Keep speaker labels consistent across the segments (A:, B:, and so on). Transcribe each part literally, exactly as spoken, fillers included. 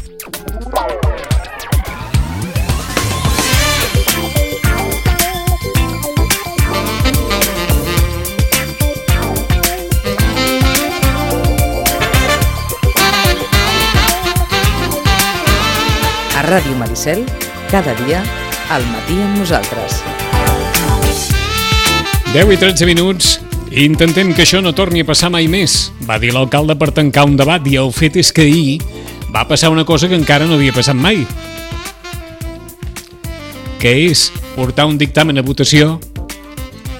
A: A Ràdio Maricel, cada dia, al matí amb nosaltres.
B: deu i tretze minuts. Intentem que això no torni a passar mai més, va dir l'alcalde per tancar un debat, i el fet és que ahir va passar una cosa que encara no havia passat mai, que és portar un dictamen a votació,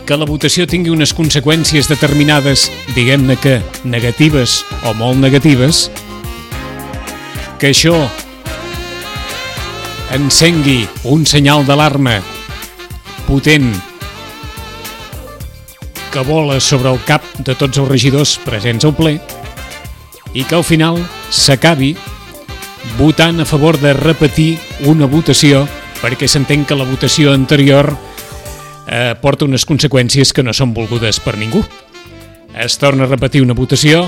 B: que la votació tingui unes conseqüències determinades, diguem-ne que negatives o molt negatives, que això encengui un senyal d'alarma potent que vola sobre el cap de tots els regidors presents al ple, i que al final s'acabi votant a favor de repetir una votació, perquè s'entén que la votació anterior eh, porta unes conseqüències que no són volgudes per ningú. Es torna a repetir una votació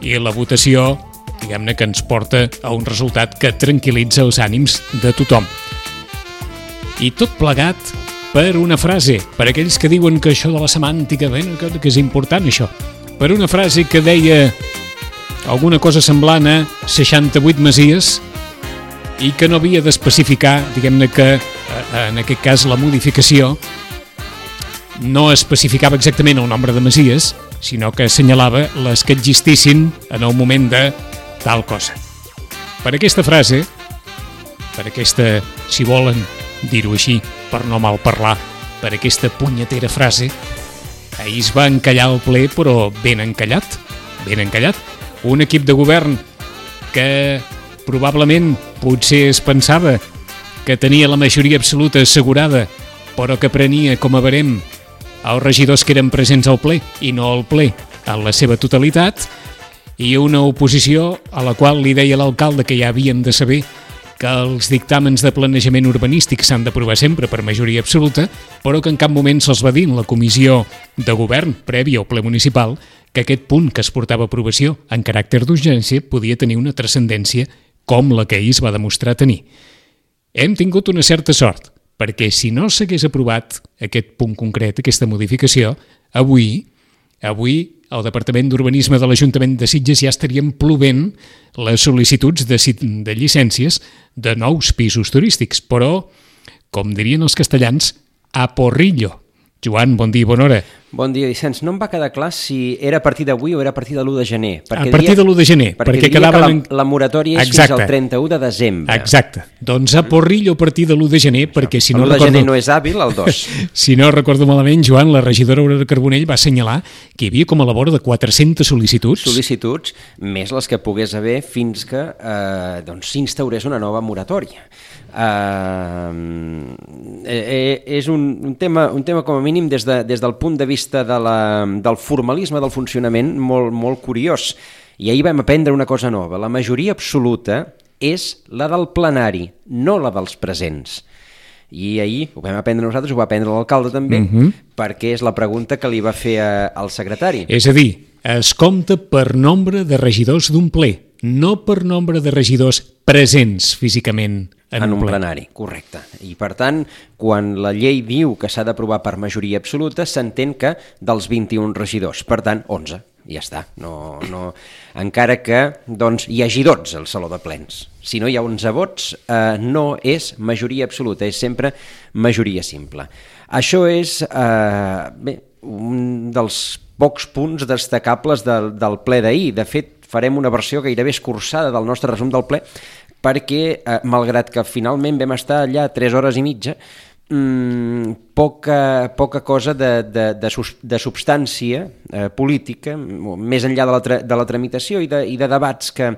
B: i la votació, diguem-ne, que ens porta a un resultat que tranquil·litza els ànims de tothom. I tot plegat per una frase, per aquells que diuen que això de la semàntica, bé, que és important això, per una frase que deia alguna cosa semblant a seixanta-vuit masies i que no havia d'especificar, diguem-ne que en aquest cas la modificació no especificava exactament el nombre de masies, sinó que assenyalava les que existissin en el moment de tal cosa. Per aquesta frase, per aquesta, si volen dir-ho així, per no mal parlar, per aquesta punyetera frase, ahir es va encallar el ple, però ben encallat, ben encallat. Un equip de govern que probablement potser es pensava que tenia la majoria absoluta assegurada, però que prenia com a barem els regidors que eren presents al ple i no al ple en la seva totalitat, i una oposició a la qual li deia l'alcalde que ja havien de saber que els dictàmens de planejament urbanístic s'han d'aprovar sempre per majoria absoluta, però que en cap moment se'ls va dir en la comissió de govern prèvia al ple municipal que aquest punt que es portava a aprovació en caràcter d'urgència podia tenir una transcendència com la que ahir es va demostrar tenir. Hem tingut una certa sort, perquè si no s'hagués aprovat aquest punt concret, aquesta modificació, avui, avui el Departament d'Urbanisme de l'Ajuntament de Sitges ja estarien plovent les sol·licituds de, de llicències de nous pisos turístics, però, com dirien els castellans, a porrillo. Joan, bon dia i bona hora.
C: Bon dia, Vicenç. No em va quedar clar si era a partir d'avui o era a partir de l'u de gener.
B: A partir de l'u de gener.
C: Perquè, perquè diria que la, la moratòria és Exacte. Fins al trenta-u de desembre.
B: Exacte. Doncs a porrillo a partir de l'u de gener, perquè si no
C: recordo...
B: L'u de
C: gener no és hàbil, el dos.
B: Si no recordo malament, Joan, la regidora Aurora Carbonell va assenyalar que hi havia com a la vora de quatre-centes sol·licituds.
C: Sol·licituds, més les que pogués haver fins que eh, doncs, s'instaurés una nova moratòria. Uh, eh, és un, un, tema, un tema com a mínim des, de, des del punt de vista de la, del formalisme del funcionament molt, molt curiós, i ahir vam aprendre una cosa nova. La majoria absoluta és la del plenari, no la dels presents, i ahir ho vam aprendre nosaltres, ho va aprendre l'alcalde també, uh-huh. perquè és la pregunta que li va fer a, al secretari.
B: És a dir, es compta per nombre de regidors d'un ple, no per nombre de regidors presents físicament en,
C: en
B: un,
C: un
B: ple.
C: plenari, correcte. I per tant, quan la llei diu que s'ha d'aprovar per majoria absoluta, s'entén que dels vint-i-un regidors, per tant, onze, ja està. No, no, encara que doncs, hi hagi dotze al saló de plens. Si no hi ha onze vots, eh, no és majoria absoluta, és sempre majoria simple. Això és eh, bé, un dels pocs punts destacables del, del ple d'ahir. De fet, farem una versió gairebé escurçada del nostre resum del ple, perquè, eh, malgrat que finalment vam estar allà tres hores i mitja, mmm, poca, poca cosa de, de, de, de substància eh, política, més enllà de la, tra de la tramitació i de, i de debats que,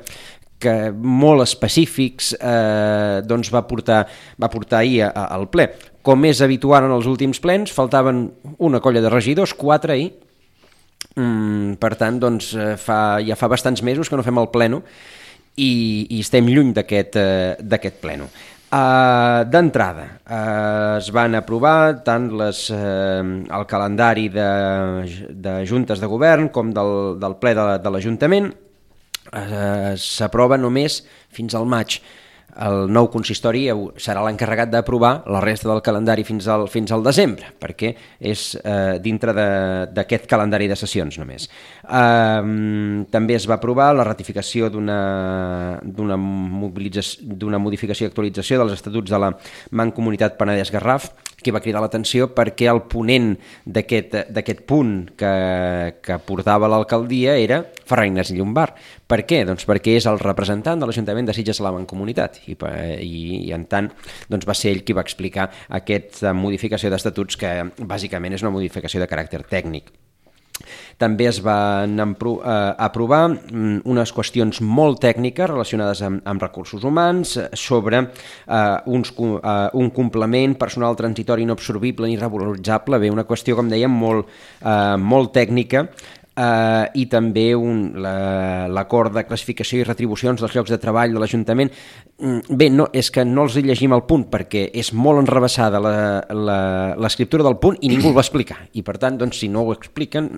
C: que molt específics eh, doncs va portar, va portar ahir a, a, al ple. Com és habitual en els últims plens, faltaven una colla de regidors, quatre ahir. Mm, per tant, doncs, fa, ja fa bastants mesos que no fem el pleno i, i estem lluny d'aquest eh, d'aquest pleno. Uh, D'entrada, uh, es van aprovar tant les, uh, el calendari de, de juntes de govern com del, del ple de, de l'Ajuntament. Uh, s'aprova només fins al maig. el nou consistori serà l'encarregat d'aprovar la resta del calendari fins al, fins al desembre, perquè és eh, dintre d'aquest calendari de sessions només. Eh, també es va aprovar la ratificació d'una d'una modificació i actualització dels estatuts de la Mancomunitat Penedès-Garraf, que va cridar l'atenció perquè el ponent d'aquest punt que, que portava l'alcaldia era Ferran Ignasi Llombart. Per què? Doncs perquè és el representant de l'Ajuntament de Sitges a la Mancomunitat i, i, i en tant doncs va ser ell qui va explicar aquesta modificació d'estatuts que bàsicament és una modificació de caràcter tècnic. També es van aprovar unes qüestions molt tècniques relacionades amb, amb recursos humans, sobre uh, uns, uh, un complement personal transitori no absorbible ni revaloritzable, bé, una qüestió, com dèiem, molt, uh, molt tècnica, Uh, i també l'acord la, de classificació i retribucions dels llocs de treball de l'Ajuntament. Bé, no, és que no els llegim el punt perquè és molt enrevessada l'escriptura del punt i ningú el va explicar, i per tant, doncs, si no ho expliquen,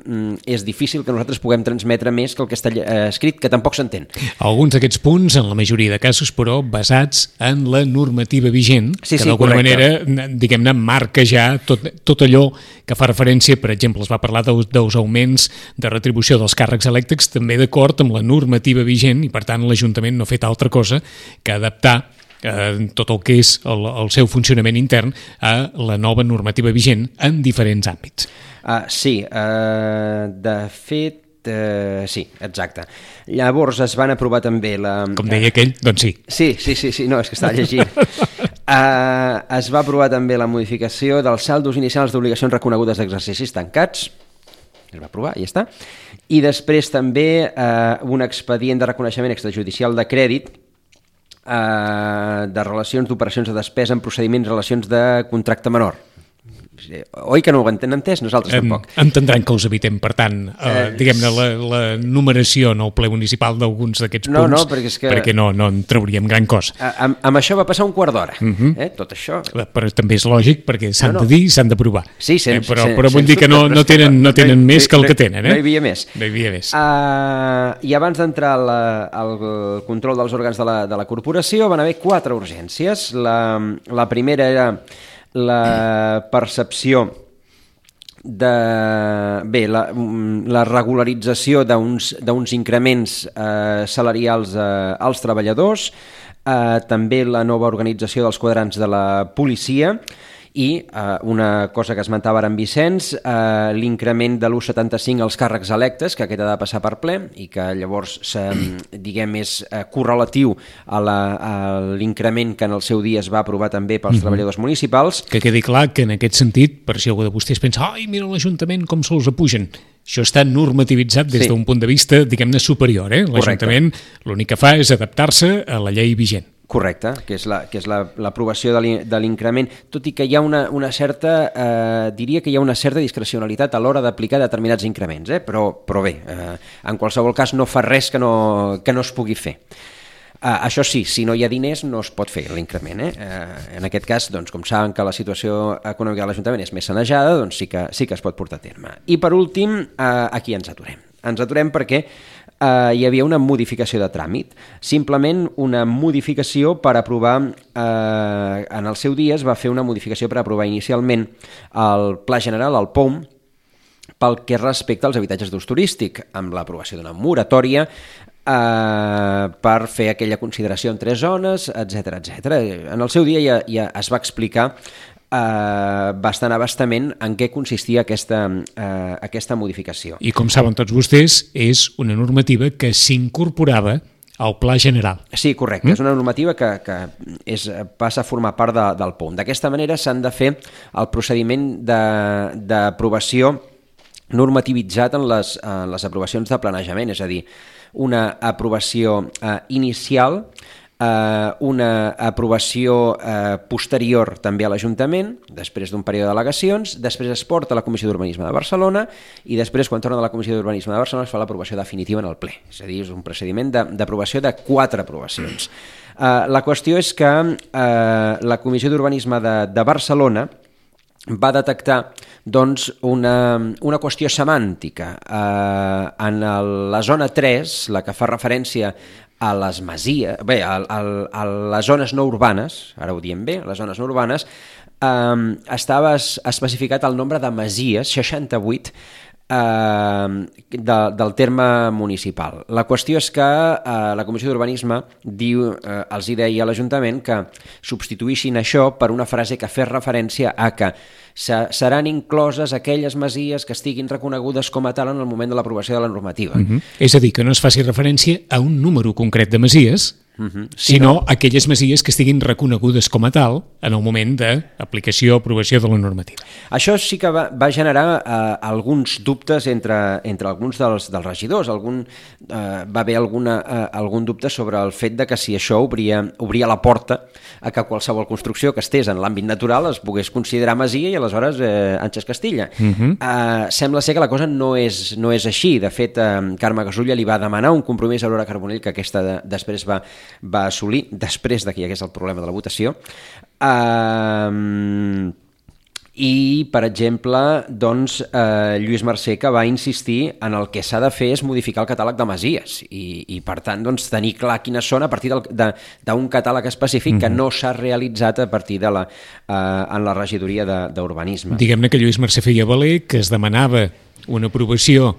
C: és difícil que nosaltres puguem transmetre més que el que està escrit, que tampoc s'entén.
B: Alguns d'aquests punts, en la majoria de casos, però, basats en la normativa vigent, sí, que sí, d'alguna manera, diguem-ne, marca ja tot, tot allò que fa referència, per exemple, es va parlar dels augments de retribució dels càrrecs elèctrics també d'acord amb la normativa vigent, i per tant l'Ajuntament no ha fet altra cosa que adaptar eh, tot el que és el, el seu funcionament intern a la nova normativa vigent en diferents àmbits.
C: Uh, sí, uh, de fet Uh, sí, exacte. Llavors es van aprovar també la...
B: Com deia aquell, doncs sí.
C: Sí, sí, sí, sí, no, és que estava llegint. uh, es va aprovar també la modificació dels saldos inicials d'obligacions reconegudes d'exercicis tancats. Es va aprovar, i ja està. I després també uh, un expedient de reconeixement extrajudicial de crèdit uh, de relacions d'operacions de despesa en procediments relacions de contracte menor. Oi que no ho han entès? Nosaltres
B: en,
C: tampoc.
B: Entendran que els evitem, per tant, eh, eh, diguem-ne, la, la numeració en el ple municipal d'alguns d'aquests
C: no,
B: punts,
C: no, perquè, és que,
B: perquè no, no en trauríem gran cosa.
C: Amb, amb això va passar un quart d'hora,
B: uh-huh.
C: eh? Tot això.
B: Però també és lògic, perquè s'han no, no. de dir i s'han d'aprovar.
C: Sí, sen,
B: eh, però,
C: sen,
B: però vull dir que no, no tenen, no tenen no, més no, que el que tenen. Eh?
C: No hi havia més.
B: No hi havia més.
C: Uh, I abans d'entrar al control dels òrgans de la, de la corporació van haver quatre urgències. La, la primera era la percepció de, bé, la, la regularització d'uns increments eh, salarials eh, als treballadors, eh, també la nova organització dels quadrants de la policia i eh, una cosa que esmentava ara en Vicenç, eh, l'increment de l'u coma setanta-cinc als càrrecs electes, que aquest ha de passar per ple i que llavors diguem, és eh, correlatiu a l'increment que en el seu dia es va aprovar també pels mm-hmm. treballadors municipals.
B: Que quedi clar que en aquest sentit, per si algú de vostès pensa ai, mira l'Ajuntament com se'ls apugen, això està normativitzat des sí. d'un punt de vista, diguem-ne, superior. Eh? L'Ajuntament l'únic que fa és adaptar-se a la llei vigent.
C: Correcte, que és la, que és l'aprovació de l'increment, tot i que hi ha una, una certa, eh, diria que hi ha una certa discrecionalitat a l'hora d'aplicar determinats increments, eh? però, però bé, eh, en qualsevol cas no fa res que no, que no es pugui fer. Uh, això sí, si no hi ha diners no es pot fer l'increment. Eh? Uh, en aquest cas, doncs, com saben que la situació econòmica de l'Ajuntament és més sanejada, doncs sí que, sí que es pot portar a terme. I per últim, uh, aquí ens aturem. Ens aturem perquè uh, hi havia una modificació de tràmit, simplement una modificació per aprovar, uh, en el seu dia es va fer una modificació per aprovar inicialment el Pla General, el P O M, pel que respecta als habitatges d'ús turístic, amb l'aprovació d'una moratòria Uh, per fer aquella consideració en tres zones, etcètera, etcètera. En el seu dia ja, ja es va explicar uh, bastant abastament en què consistia aquesta, uh, aquesta modificació.
B: I com saben tots vostès, és una normativa que s'incorporava al Pla General.
C: Sí, correcte. Mm? És una normativa que, que és, passa a formar part de, del P O M. D'aquesta manera s'han de fer el procediment d'aprovació normativitzat en les, en les aprovacions de planejament, és a dir, una aprovació eh, inicial, eh, una aprovació eh, posterior també a l'Ajuntament, després d'un període d'al·legacions, després es porta a la Comissió d'Urbanisme de Barcelona i després, quan torna de la Comissió d'Urbanisme de Barcelona, es fa l'aprovació definitiva en el ple. És a dir, és un procediment d'aprovació de, de quatre aprovacions. Eh, la qüestió és que eh, la Comissió d'Urbanisme de, de Barcelona va detectar doncs, una, una qüestió semàntica. Eh, en el, la zona tres, la que fa referència a les masies, bé, a, a, a les zones no urbanes, ara ho diem bé, les zones no urbanes, eh, estava especificat el nombre de masies, seixanta-vuit, Uh, de, del terme municipal. La qüestió és que uh, la Comissió d'Urbanisme diu, uh, els hi deia a l'Ajuntament que substituïssin això per una frase que fes referència a que seran incloses aquelles masies que estiguin reconegudes com a tal en el moment de l'aprovació de la normativa.
B: Uh-huh. És a dir, que no es faci referència a un número concret de masies, Uh-huh. sinó no. aquelles masies que estiguin reconegudes com a tal en el moment d'aplicació o aprovació de la normativa.
C: Això sí que va, va generar eh, alguns dubtes entre, entre alguns dels, dels regidors. Algun, eh, va haver alguna, eh, algun dubte sobre el fet de que si això obria, obria la porta a que qualsevol construcció que estés en l'àmbit natural es pogués considerar masia i aleshores eh, Àngels Castilla. Uh-huh. eh, sembla ser que la cosa no és, no és així. De fet, eh, Carme Gasulla li va demanar un compromís a Aurora Carbonell que aquesta de, després va va assolir, després de que hi hagués el problema de la votació. Uh, I, per exemple, doncs, uh, Lluís Mercè, que va insistir en el que s'ha de fer és modificar el catàleg de masies i, i per tant, doncs, tenir clar quines són a partir d'un catàleg específic mm-hmm. que no s'ha realitzat a partir de la, uh, en la regidoria d'Urbanisme.
B: Diguem-ne que Lluís Mercè feia valer que es demanava una aprovació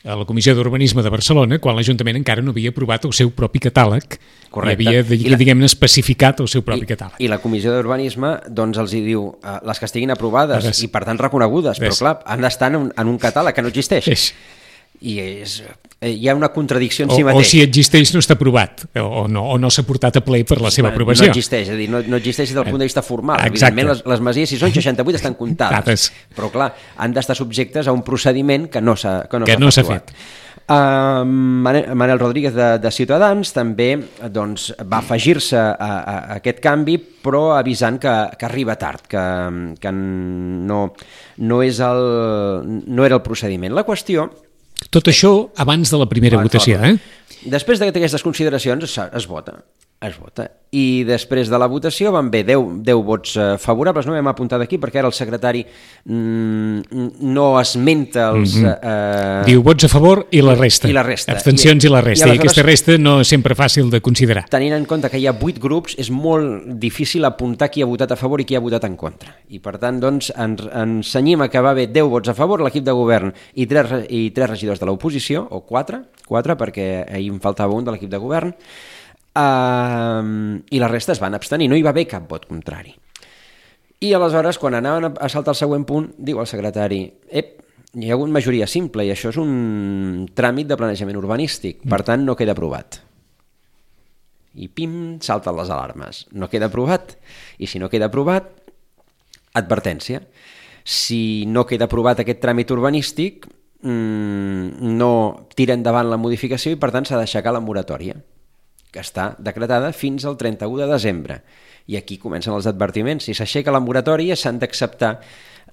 B: a la Comissió d'Urbanisme de Barcelona quan l'Ajuntament encara no havia aprovat el seu propi catàleg. Correcte. I havia, la... diguem-ne, especificat el seu propi
C: I,
B: catàleg.
C: I la Comissió d'Urbanisme doncs els hi diu uh, les que estiguin aprovades Ves. i per tant reconegudes, Ves. però clar, han d'estar en, un, en un catàleg que no existeix. Ves. I és, eh, hi ha una contradicció en
B: o,
C: si mateix.
B: O si existeix no està aprovat, o no, o no s'ha portat a ple per la seva aprovació.
C: No existeix, és a dir, no, no existeix des del punt de vista formal. Exacte. Evidentment, les, les masies, si són seixanta-vuit, estan comptades. Però clar, han d'estar subjectes a un procediment que no s'ha que no
B: que no s'ha fet.
C: Uh, Manel Rodríguez de, de Ciutadans també doncs, va afegir-se a, a, a aquest canvi, però avisant que, que arriba tard, que, que no, no, és el, no era el procediment. La qüestió...
B: Tot això abans de la primera ah, votació, eh?
C: Després d'aquestes consideracions es, es vota. Es vota. I després de la votació van bé deu, deu vots eh, favorables, no m'hem apuntat aquí perquè ara el secretari mm, no esmenta els...
B: Mm-hmm. eh... Diu vots a favor i la resta.
C: I la resta.
B: Abstencions i, i la resta. I, I aquesta resta no és sempre fàcil de considerar.
C: Tenint en compte que hi ha vuit grups, és molt difícil apuntar qui ha votat a favor i qui ha votat en contra. I per tant, doncs, ens, ens cenyim a que va haver deu vots a favor, l'equip de govern i tres, i tres regidors de l'oposició, o quatre, quatre perquè ahir em faltava un de l'equip de govern, Uh, i la resta es van abstenir, no hi va haver cap vot contrari. I aleshores, quan anaven a saltar el següent punt, diu el secretari, ep, hi ha hagut majoria simple i això és un tràmit de planejament urbanístic, per tant no queda aprovat. I pim, salten les alarmes. No queda aprovat, i si no queda aprovat, advertència. Si no queda aprovat aquest tràmit urbanístic, mmm, no tira endavant la modificació i per tant s'ha d'aixecar la moratòria, que està decretada fins al trenta-u de desembre. I aquí comencen els advertiments. Si s'aixeca la moratòria, s'han d'acceptar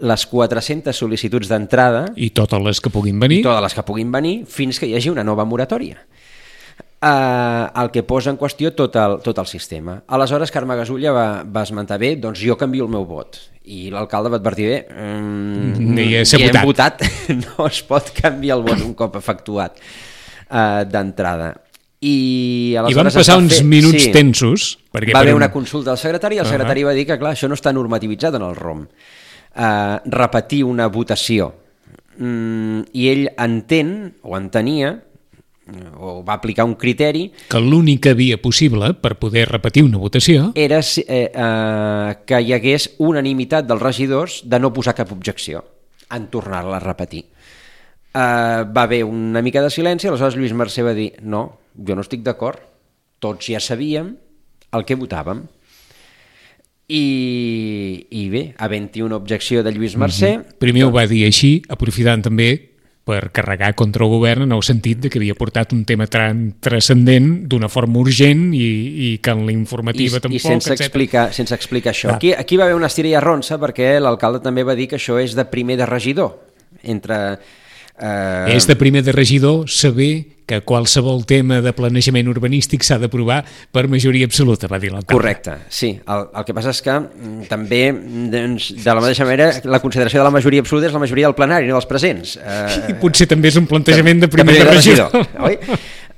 C: les quatre-centes sol·licituds d'entrada...
B: I totes les que puguin venir.
C: I totes les que puguin venir, fins que hi hagi una nova moratòria. Uh, el que posa en qüestió tot el, tot el sistema. Aleshores, Carme Gasulla va, va esmentar bé, doncs jo canvio el meu vot. I l'alcalde va advertir bé, um,
B: ni
C: he
B: votat.
C: votat, no es pot canviar el vot un cop efectuat uh, d'entrada. I,
B: I van passar uns fer... minuts sí, tensos.
C: Perquè va haver un... una consulta al secretari i el uh-huh. secretari va dir que clar, això no està normativitzat en el R O M. Uh, repetir una votació. Mm, I ell entén, o entenia, o va aplicar un criteri...
B: Que l'única via possible per poder repetir una votació...
C: Era eh, uh, que hi hagués unanimitat dels regidors de no posar cap objecció en tornar-la a repetir. Uh, va haver una mica de silenci, aleshores Lluís Mercè va dir no, jo no estic d'acord, tots ja sabíem el que votàvem. I, i bé, havent-hi una objecció de Lluís Mercè...
B: Mm-hmm. Primer doncs... ho va dir així, aprofitant també per carregar contra el govern en el sentit de que havia portat un tema transcendent d'una forma urgent i, i que en la informativa I, tampoc,
C: i sense explicar, sense explicar això. Aquí, aquí va haver una estira i arronsa perquè l'alcalde també va dir que això és de primer de regidor, entre... Eh...
B: És de primer de regidor saber que qualsevol tema de planejament urbanístic s'ha d'aprovar per majoria absoluta, va dir l'alcalde.
C: Correcte, sí. El, el que passa és que també, doncs, de la mateixa manera, la consideració de la majoria absoluta és la majoria del plenari, no dels presents.
B: Eh... I potser també és un plantejament de primer de, de regidor. regidor
C: oi?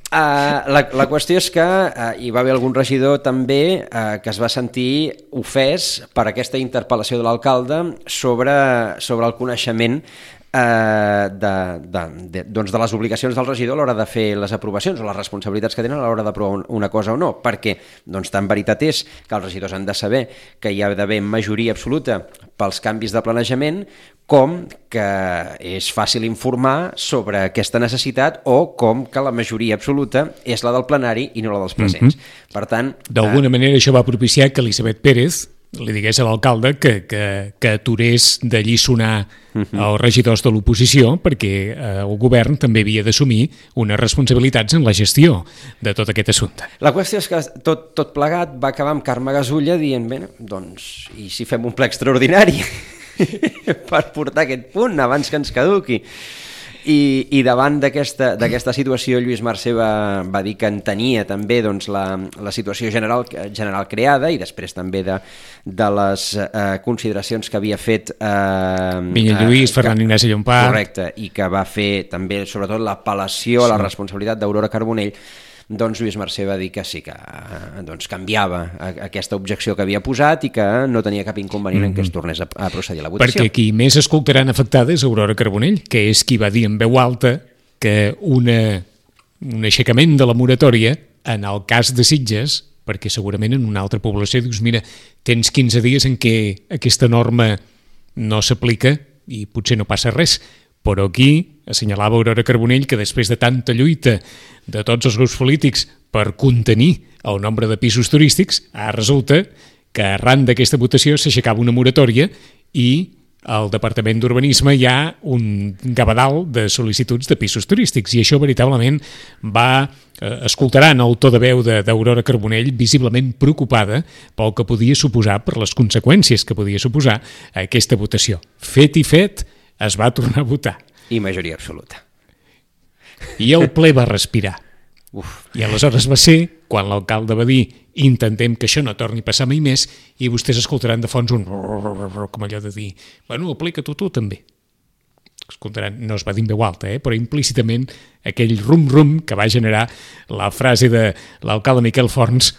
C: Uh, la, la qüestió és que uh, hi va haver algun regidor també uh, que es va sentir ofès per aquesta interpel·lació de l'alcalde sobre, sobre el coneixement Uh, de, de, de, doncs de les obligacions del regidor a l'hora de fer les aprovacions o les responsabilitats que tenen a l'hora d'aprovar una cosa o no, perquè doncs tan veritat és que els regidors han de saber que hi ha d'haver majoria absoluta pels canvis de planejament, com que és fàcil informar sobre aquesta necessitat o com que la majoria absoluta és la del plenari i no la dels presents. Mm-hmm. Per tant...
B: D'alguna uh... manera això va propiciar que Elisabet Pérez li digués a l'alcalde que, que, que aturés de lliçonar uh-huh. els regidors de l'oposició perquè eh, el govern també havia d'assumir unes responsabilitats en la gestió de tot aquest assumpte.
C: La qüestió és que tot, tot plegat va acabar amb Carme Gasulla dient, bé, doncs, i si fem un ple extraordinari per portar aquest punt abans que ens caduqui? I, i davant d'aquesta d'aquesta situació Lluís Mercè va, va dir que entenia també doncs, la, la situació general, general creada i després també de, de les eh, consideracions que havia fet eh,
B: Minya Lluís, eh, Ferran Ignasi Llompart,
C: correcte, i que va fer també sobretot l'apel·lació a la responsabilitat d'Aurora Carbonell. Doncs Lluís Mercè va dir que sí, que doncs, canviava aquesta objecció que havia posat i que no tenia cap inconvenient mm-hmm. en que es tornés a, a procedir a la votació.
B: Perquè qui més escoltaran afectada és Aurora Carbonell, que és qui va dir en veu alta que una, un aixecament de la moratòria, en el cas de Sitges, perquè segurament en una altra població dius, mira, tens quinze dies en què aquesta norma no s'aplica i potser no passa res, però aquí assenyalava Aurora Carbonell que després de tanta lluita de tots els grups polítics per contenir el nombre de pisos turístics, ara resulta que arran d'aquesta votació s'aixecava una moratòria i al Departament d'Urbanisme hi ha un gavadal de sol·licituds de pisos turístics i això veritablement va, eh, escoltaran el to de veu d'Aurora Carbonell visiblement preocupada pel que podia suposar, per les conseqüències que podia suposar aquesta votació. Fet i fet, es va tornar a votar.
C: I majoria absoluta.
B: I el ple va respirar. Uf. I aleshores va ser quan l'alcalde va dir intentem que això no torni a passar mai més i vostès escoltaran de fons un com allò de dir, bueno, aplica-t'ho tu també. Escoltaran, no es va dir en veu alta, eh? Però implícitament aquell rum-rum que va generar la frase de l'alcalde Miquel Forns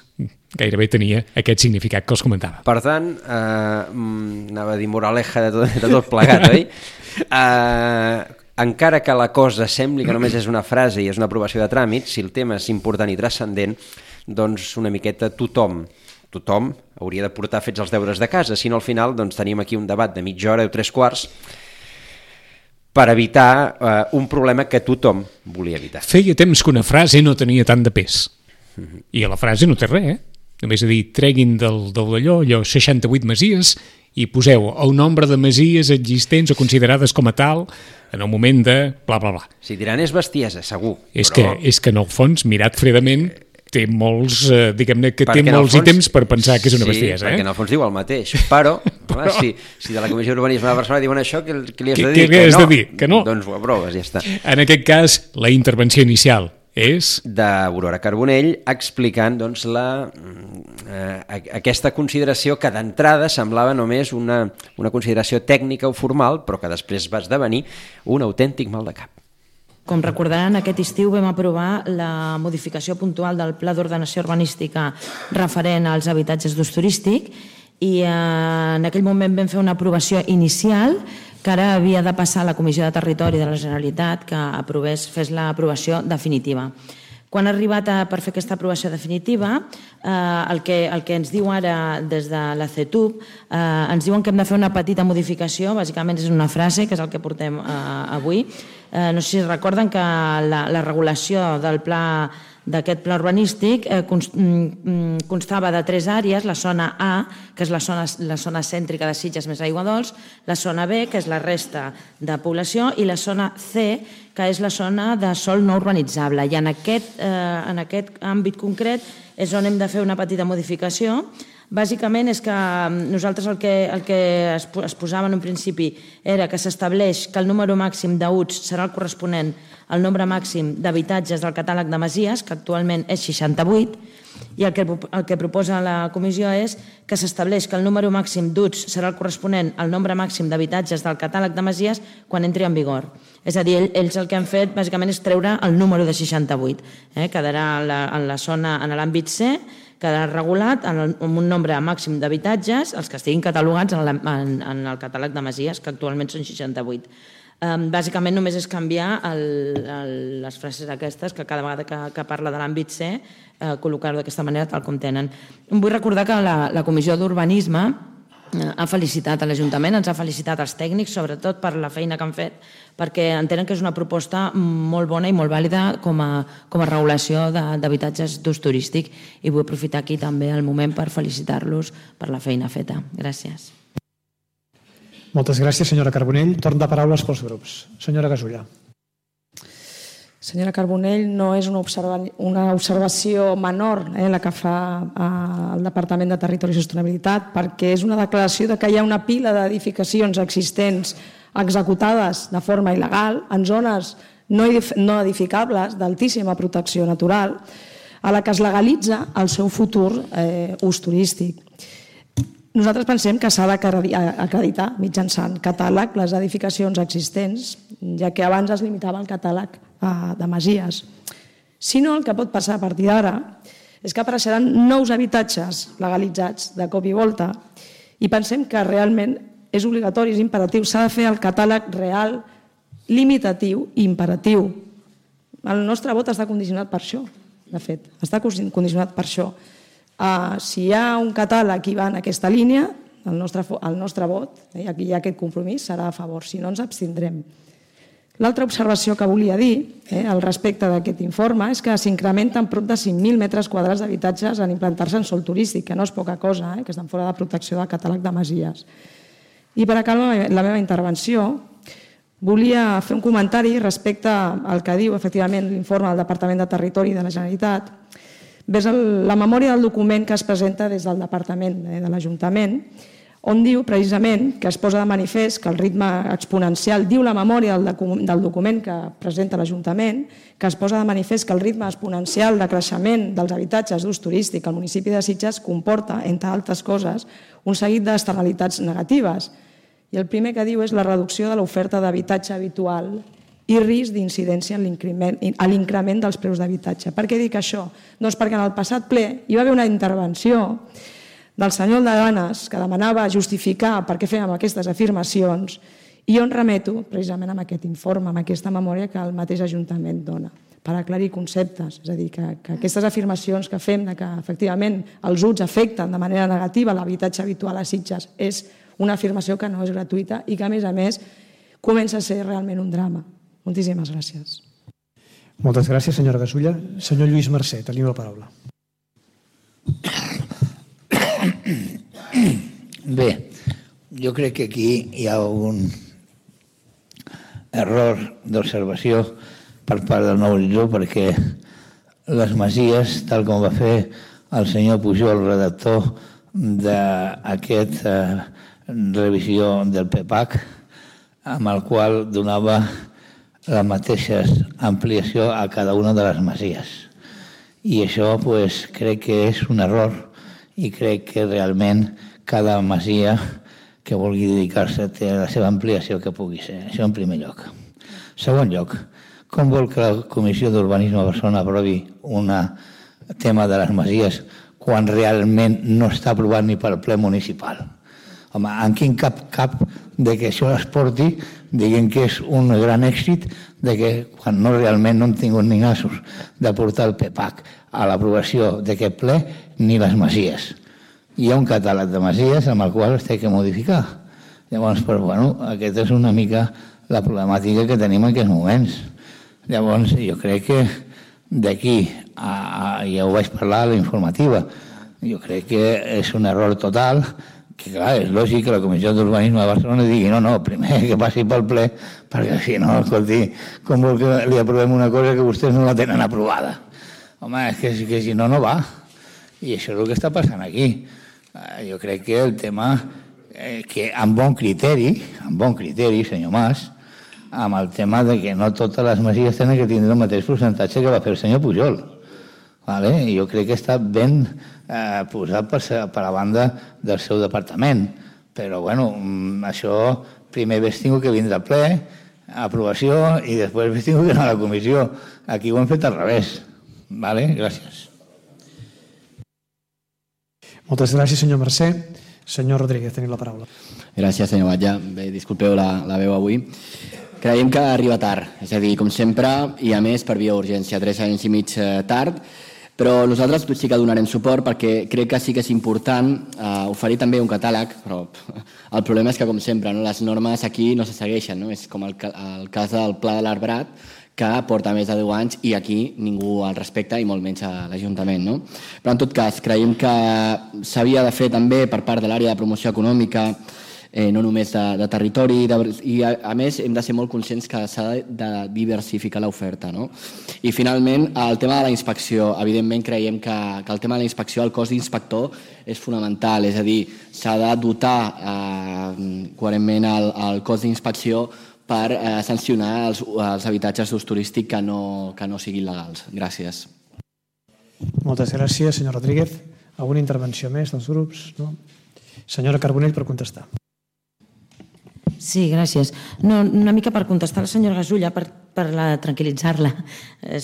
B: gairebé tenia aquest significat que els comentava.
C: Per tant, eh, anava a dir moraleja de tot, de tot plegat, oi? Eh, encara que la cosa sembli que només és una frase i és una aprovació de tràmit, si el tema és important i transcendent, doncs una miqueta tothom, tothom hauria de portar fets els deures de casa, si no al final doncs, tenim aquí un debat de mitja hora o tres quarts per evitar eh, un problema que tothom volia evitar.
B: Feia temps que una frase no tenia tant de pes. Mm-hmm. I a la frase no té res, eh? Només a dir, treguin del, del d'allò, allò, seixanta-vuit masies i poseu el nombre de masies existents o considerades com a tal en el moment de bla, bla, bla.
C: Si diran és bestiesa, segur.
B: És,
C: però...
B: que, és que en el fons, mirat fredament, té molts, eh, diguem-ne, que perquè té molts fons, ítems per pensar que és una
C: sí,
B: bestiesa.
C: Sí, perquè
B: eh?
C: en el fons diu el mateix, però, però... Home, si, si de la Comissió d'Urbanisme de Barcelona diuen això, què, què li has de dir?
B: Què li has de dir? Que no?
C: Doncs ho aproves, ja està.
B: En aquest cas, la intervenció inicial és...
C: d'Aurora Carbonell explicant doncs, la, eh, aquesta consideració que d'entrada semblava només una, una consideració tècnica o formal, però que després va esdevenir un autèntic mal de cap.
D: Com recordaran, aquest estiu vam aprovar la modificació puntual del Pla d'Ordenació Urbanística referent als habitatges d'ús turístic i eh, en aquell moment vam fer una aprovació inicial que ara havia de passar a la Comissió de Territori de la Generalitat que aprovés, fes l'aprovació definitiva. Quan ha arribat a, per fer aquesta aprovació definitiva, eh, el, que, el que ens diu ara des de la CETUB, eh, ens diuen que hem de fer una petita modificació, bàsicament és una frase, que és el que portem eh, avui. Eh, no sé si recorden que la, la regulació del pla d'aquest pla urbanístic eh, constava de tres àrees, la zona A, que és la zona, la zona cèntrica de Sitges més aigua dolç, la zona B, que és la resta de població, i la zona C, que és la zona de sòl no urbanitzable. I en aquest, eh, en aquest àmbit concret és on hem de fer una petita modificació Bàsicament és que nosaltres el que, el que es, es posava en un principi era que s'estableix que el número màxim d'U Ts serà el corresponent al nombre màxim d'habitatges del catàleg de masies, que actualment és seixanta-vuit, i el que, el que proposa la comissió és que s'estableix que el número màxim d'U Ts serà el corresponent al nombre màxim d'habitatges del catàleg de masies quan entri en vigor. És a dir, ells el que han fet bàsicament és treure el número de seixanta-vuit. Eh? Quedarà en la, en la zona, en l'àmbit C, quedarà regulat en, el, en un nombre màxim d'habitatges, els que estiguin catalogats en, la, en, en el catàleg de masies, que actualment són seixanta-vuit. Um, bàsicament només és canviar el, el, les frases aquestes que cada vegada que, que parla de l'àmbit C eh, col·locar-ho d'aquesta manera tal com tenen. Vull recordar que la, la Comissió d'Urbanisme eh, ha felicitat a l'Ajuntament, ens ha felicitat als tècnics sobretot per la feina que han fet, perquè entenen que és una proposta molt bona i molt vàlida com a, com a regulació d'habitatges d'ús turístic, i vull aprofitar aquí també el moment per felicitar-los per la feina feta. Gràcies.
E: Moltes gràcies, senyora Carbonell. Torn de paraules pels grups. Senyora Gasulla.
F: Senyora Carbonell, no és una, observa una observació menor eh, la que fa eh, el Departament de Territori i Sostenibilitat, perquè és una declaració de que hi ha una pila d'edificacions existents executades de forma il·legal en zones no edificables d'altíssima protecció natural, a la que es legalitza el seu futur eh, ús turístic. Nosaltres pensem que s'ha d'acreditar mitjançant catàleg les edificacions existents, ja que abans es limitava el catàleg de masies. Si no, el que pot passar a partir d'ara és que apareixeran nous habitatges legalitzats de cop i volta, i pensem que realment és obligatori, és imperatiu, s'ha de fer el catàleg real, limitatiu i imperatiu. El nostre vot està condicionat per això, de fet, està condicionat per això. Uh, si hi ha un catàleg que va en aquesta línia, el nostre, el nostre vot, eh, aquí hi ha aquest compromís, serà a favor, si no ens abstindrem. L'altra observació que volia dir eh, al respecte d'aquest informe és que s'incrementen prop de cinc mil metres quadrats d'habitatges en implantar-se en sòl turístic, que no és poca cosa, eh, que estan fora de protecció del catàleg de masies. I per acabar la meva intervenció, volia fer un comentari respecte al que diu efectivament l'informe del Departament de Territori de la Generalitat, vers la memòria del document que es presenta des del Departament de l'Ajuntament, on diu precisament que es posa de manifest que el ritme exponencial, diu la memòria del document que presenta l'Ajuntament, que es posa de manifest que el ritme exponencial de creixement dels habitatges d'ús turístic al municipi de Sitges comporta, entre altres coses, un seguit d'externalitats negatives. I el primer que diu és la reducció de l'oferta d'habitatge habitual i risc d'incidència a l'increment dels preus d'habitatge. Per què dic això? Doncs perquè en el passat ple hi va haver una intervenció del senyor Aldaganes que demanava justificar per què fèiem aquestes afirmacions, i jo em remeto precisament a aquest informe, a aquesta memòria que el mateix Ajuntament dona, per aclarir conceptes. És a dir, que, que aquestes afirmacions que fem de que efectivament els U Ts afecten de manera negativa l'habitatge habitual a Sitges és una afirmació que no és gratuïta i que, a més a més, comença a ser realment un drama. Moltíssimes gràcies.
E: Moltes gràcies, senyora Gasulla. Senyor Lluís Mercè, tenim la paraula.
G: Bé, jo crec que aquí hi ha un error d'observació per part del Nou Horitzó, perquè les masies, tal com va fer el senyor Pujol, el redactor d'aquesta revisió del P P A C, amb el qual donava la mateixa ampliació a cada una de les masies. I això pues, crec que és un error, i crec que realment cada masia que vulgui dedicar-se té la seva ampliació que pugui ser. Això en primer lloc. Segon lloc, com vol que la Comissió d'Urbanisme de Barcelona aprovi un tema de les masies quan realment no està aprovat ni per ple municipal? Home, en quin cap cap de que això es porti, diguem que és un gran èxit, de que quan no realment no han tingut ni nassos de portar el P P A C a l'aprovació d'aquest ple, ni les masies. Hi ha un catàleg de masies amb el qual es té que modificar. Llavors, però, bueno, aquesta és una mica la problemàtica que tenim en aquests moments. Llavors, jo crec que d'aquí, a, a, ja ho vaig parlar a la informativa, jo crec que és un error total, que clar, és lògic que la Comissió d'Urbanisme de Barcelona digui no, no, primer que passi pel ple, perquè si no, escolti, com vol que li aprovem una cosa que vostès no la tenen aprovada? Home, és que, que si no, no va. I això és el que està passant aquí. jo crec que el tema, eh, que amb bon criteri, amb bon criteri, senyor Mas, amb el tema de que no totes les masies tenen que tindre el mateix percentatge que va fer el senyor Pujol. Vale? I jo crec que està ben eh, posat per, per la banda del seu departament. Però, bueno, això primer hagués tingut que vindre al ple, aprovació, i després hagués tingut que anar a la comissió. Aquí ho hem fet al revés. Vale? Gràcies.
E: Moltes gràcies, senyor Mercè. Senyor Rodríguez, teniu la paraula.
H: Gràcies, senyor Batlle. Bé, disculpeu la, la veu avui. Creiem que arriba tard, és a dir, com sempre, i a més per via urgència, tres anys i mig tard, però nosaltres sí que donarem suport perquè crec que sí que és important eh, oferir també un catàleg, però el problema és que, com sempre, no, les normes aquí no se segueixen, no? És com el, el cas del Pla de l'Arbrat, que porta més de deu anys i aquí ningú el respecta i molt menys a l'Ajuntament. No? Però en tot cas, creiem que s'havia de fer també per part de l'àrea de promoció econòmica, eh, no només de, de territori, de, i a, a més hem de ser molt conscients que s'ha de, de diversificar l'oferta. No? I finalment, el tema de la inspecció. Evidentment creiem que, que el tema de la inspecció, el cos d'inspector és fonamental, és a dir, s'ha de dotar eh, coherentment el, el cos d'inspecció per eh, sancionar els, els habitatges d'ús turístic que no, que no siguin legals. Gràcies.
E: Moltes gràcies, senyor Rodríguez. Alguna intervenció més dels grups? No? Senyora Carbonell, per contestar.
D: Sí, gràcies. No, una mica per contestar a la senyora Gasulla, per, per la, tranquil·litzar-la, eh,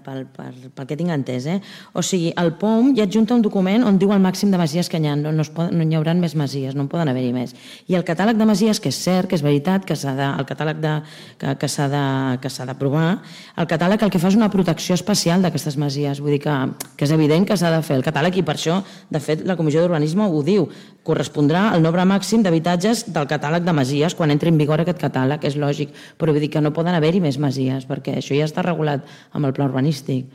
D: pel, per, pel que tinc entès. Eh? O sigui, el P O M ja adjunta un document on diu el màxim de masies que hi ha, no, no, es pot, no hi haurà més masies, no en poden haver-hi més. I el catàleg de masies, que és cert, que és veritat, que s'ha de, el catàleg de, que, que s'ha de, que s'ha d'aprovar, el catàleg el que fa és una protecció especial d'aquestes masies, vull dir que, que és evident que s'ha de fer el catàleg i per això, de fet, la Comissió d'Urbanisme ho diu, correspondrà al nombre màxim d'habitatges del catàleg de masies quan entri en vigor aquest catàleg, és lògic, però vull dir que no poden haver-hi més masies, perquè això ja està regulat amb el pla urbanístic.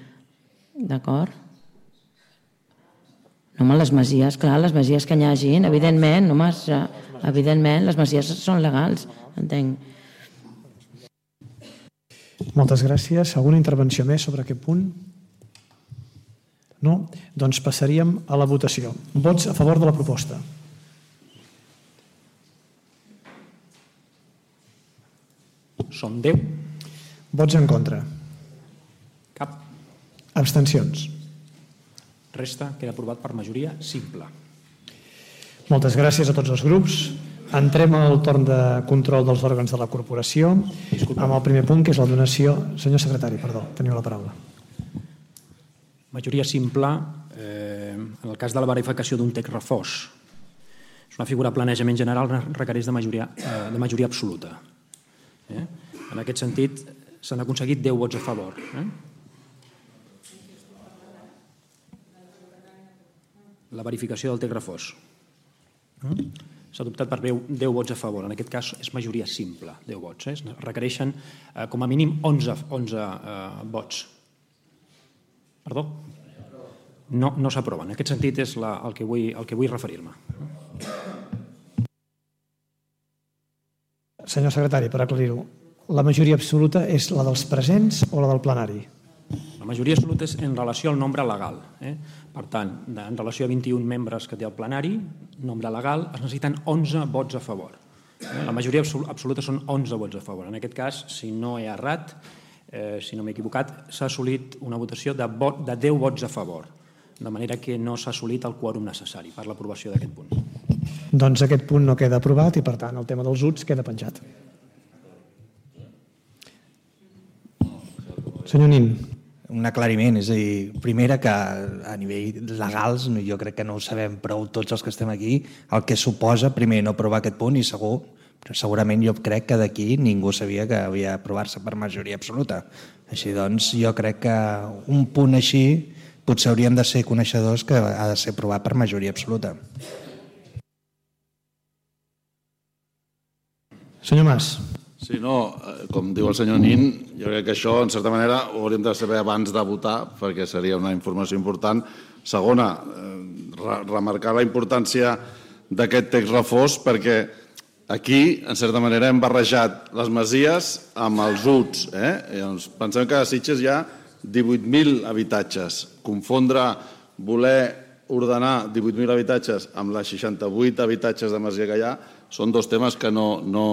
D: D'acord? No, home, les masies, clar, les masies que hi hagin, evidentment, no, home, evidentment, les masies són legals, entenc.
E: Moltes gràcies. Alguna intervenció més sobre aquest punt? No? Doncs passaríem a la votació. Vots a favor de la proposta.
B: Són deu.
E: Vots en contra.
B: Cap.
E: Abstencions.
B: Resta queda aprovat per majoria simple.
E: Moltes gràcies a tots els grups. Entrem al torn de control dels òrgans de la corporació. Disculpa. Amb el primer punt, que és la donació... Senyor secretari, perdó, teniu la paraula.
B: Majoria simple, eh, en el cas de la verificació d'un text refós. És una figura de planejament general, requereix de majoria, eh, de majoria absoluta. Eh? En aquest sentit, s'han aconseguit deu vots a favor. Eh? La verificació del text refós. Eh? S'ha adoptat per deu vots a favor. En aquest cas és majoria simple, deu vots. Eh? Requereixen eh, com a mínim onze, onze eh, vots. Perdó? No, no s'aproven. En aquest sentit és la, el que vull, el que vull referir-me.
E: Senyor secretari, per aclarir-ho, la majoria absoluta és la dels presents o la del plenari?
B: La majoria absoluta és en relació al nombre legal. Eh? Per tant, en relació a vint-i-un membres que té el plenari, nombre legal, es necessiten onze vots a favor. Eh? La majoria absoluta són onze vots a favor. En aquest cas, si no he errat, eh, si no m'he equivocat, s'ha assolit una votació de, vot, de deu vots a favor, de manera que no s'ha assolit el quòrum necessari per l'aprovació d'aquest punt.
E: Doncs aquest punt no queda aprovat i, per tant, el tema dels U Ts queda penjat. Senyor Nin.
I: Un aclariment, és a dir, primera que a nivell legals jo crec que no ho sabem prou tots els que estem aquí, el que suposa, primer, no aprovar aquest punt i segur, però segurament jo crec que d'aquí ningú sabia que havia d'aprovar-se per majoria absoluta. Així doncs, jo crec que un punt així potser hauríem de ser coneixedors que ha de ser aprovat per majoria absoluta.
E: Senyor Mas.
J: Sí, no, com diu el senyor Nin, jo crec que això, en certa manera, ho hauríem de saber abans de votar, perquè seria una informació important. Segona, remarcar la importància d'aquest text refós, perquè aquí, en certa manera, hem barrejat les masies amb els U Ts. Eh? Llavors, pensem que a Sitges hi ha divuit mil habitatges. Confondre, voler ordenar divuit mil habitatges amb les seixanta-vuit habitatges de masia que hi ha són dos temes que no, no,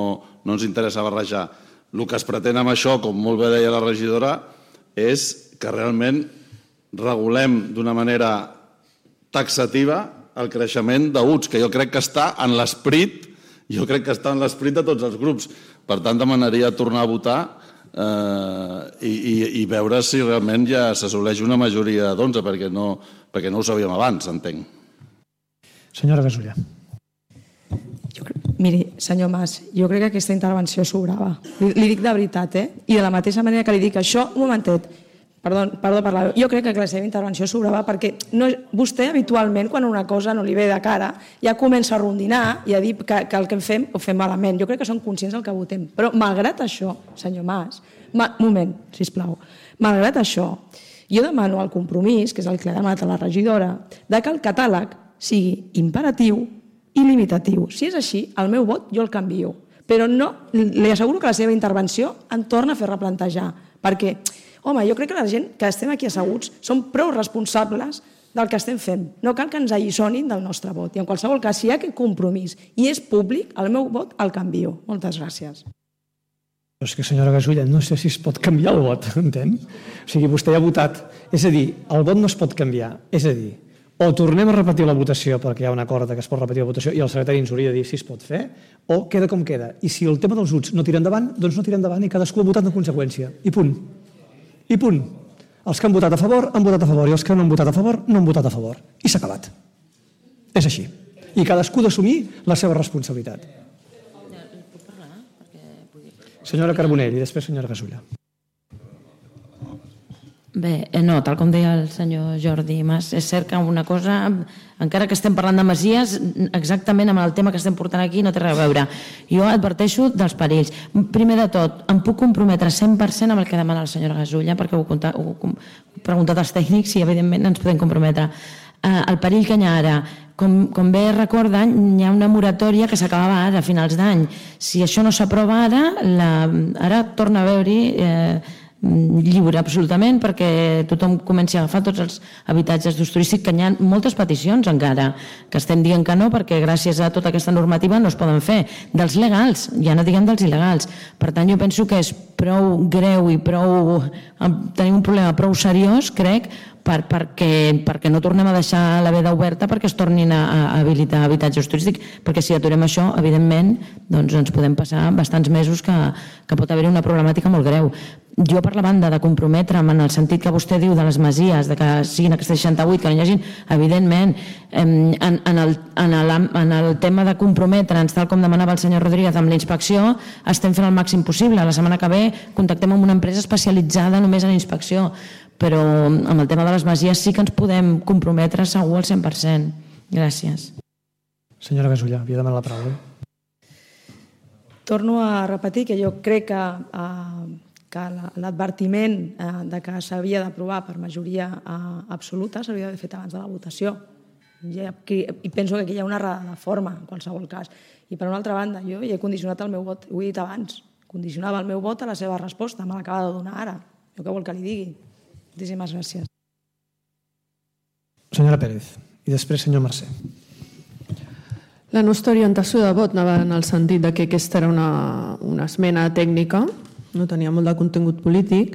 J: no ens interessa barrejar. El que es pretén amb això, com molt bé deia la regidora, és que realment regulem d'una manera taxativa el creixement d'U C S, que jo crec que està en l'esperit, jo crec que està en l'esperit de tots els grups. Per tant, demanaria tornar a votar eh, i, i, i veure si realment ja s'assoleix una majoria d'onze, perquè, no, perquè no ho sabíem abans, entenc.
E: Senyora Gasulla.
F: Miri, senyor Mas, jo crec que aquesta intervenció sobrava. Li, li dic de veritat, eh? I de la mateixa manera que li dic això, un momentet, perdó, perdó per la veu, jo crec que la seva intervenció sobrava perquè no, vostè habitualment, quan una cosa no li ve de cara, ja comença a rondinar i a dir que, que el que fem ho fem malament. Jo crec que som conscients del que votem. Però malgrat això, senyor Mas, ma, moment, sisplau, malgrat això, jo demano el compromís, que és el que ha demanat a la regidora, de que el catàleg sigui imperatiu i limitatiu. Si és així, el meu vot jo el canvio. Però no, li asseguro que la seva intervenció em torna a fer replantejar. Perquè, home, jo crec que la gent que estem aquí asseguts som prou responsables del que estem fent. No cal que ens alliçonin del nostre vot. I en qualsevol cas, si hi ha aquest compromís i és públic, el meu vot el canvio. Moltes gràcies.
E: És que, senyora Gasulla, no sé si es pot canviar el vot, entén? O sigui, vostè ja ha votat. És a dir, el vot no es pot canviar. És a dir, o tornem a repetir la votació perquè hi ha un acord que es pot repetir la votació i el secretari ens hauria de dir si es pot fer, o queda com queda. I si el tema dels U C S no tira endavant, doncs no tira endavant i cadascú ha votat en conseqüència. I punt. I punt. Els que han votat a favor, han votat a favor, i els que no han votat a favor, no han votat a favor. I s'ha acabat. És així. I cadascú d'assumir la seva responsabilitat. Senyora Carbonell i després senyora Gasulla.
D: Bé, no, tal com deia el senyor Jordi Mas, és cert que una cosa, encara que estem parlant de masies, exactament amb el tema que estem portant aquí no té res a veure. Jo adverteixo dels perills. Primer de tot, em puc comprometre cent per cent amb el que demana la senyora Gasulla, perquè ho he preguntat als tècnics i evidentment ens podem comprometre. El perill que hi ha ara, com, com bé recorden, hi ha una moratòria que s'acabava ara, a finals d'any. Si això no s'aprova ara, la, ara torna a veure-hi eh, lliure absolutament perquè tothom comenci a agafar tots els habitatges d'ús turístic, que hi ha moltes peticions encara que estem dient que no perquè gràcies a tota aquesta normativa no es poden fer, dels legals, ja no diguem dels il·legals. Per tant, jo penso que és prou greu i prou tenim un problema prou seriós, crec, per, perquè, perquè no tornem a deixar la veda oberta perquè es tornin a, a habilitar habitatges turístics, perquè si aturem això, evidentment, doncs ens podem passar bastants mesos que, que pot haver-hi una problemàtica molt greu. Jo, per la banda, de comprometre'm en el sentit que vostè diu de les masies, de que siguin aquestes seixanta-vuit, que no hi hagin, evidentment, en, en, el, en, el, en el tema de comprometre'ns, tal com demanava el senyor Rodríguez amb la inspecció, estem fent el màxim possible. La setmana que ve contactem amb una empresa especialitzada només en inspecció, però amb el tema de les masies sí que ens podem comprometre segur al cent per cent. Gràcies.
E: Senyora Gasulla, havia demanat la paraula.
F: Torno a repetir que jo crec que eh, que l'advertiment de que s'havia d'aprovar per majoria absoluta s'hauria d'haver fet abans de la votació. I penso que aquí hi ha una errada de forma, en qualsevol cas. I per una altra banda, jo hi he condicionat el meu vot, ho he dit abans, condicionava el meu vot a la seva resposta, me l'acaba de donar ara. Jo què vol que li digui? Moltíssimes gràcies.
E: Senyora Pérez, i després senyor Mercè.
K: La nostra orientació de vot anava en el sentit de que aquesta era una, una esmena tècnica, no tenia molt de contingut polític.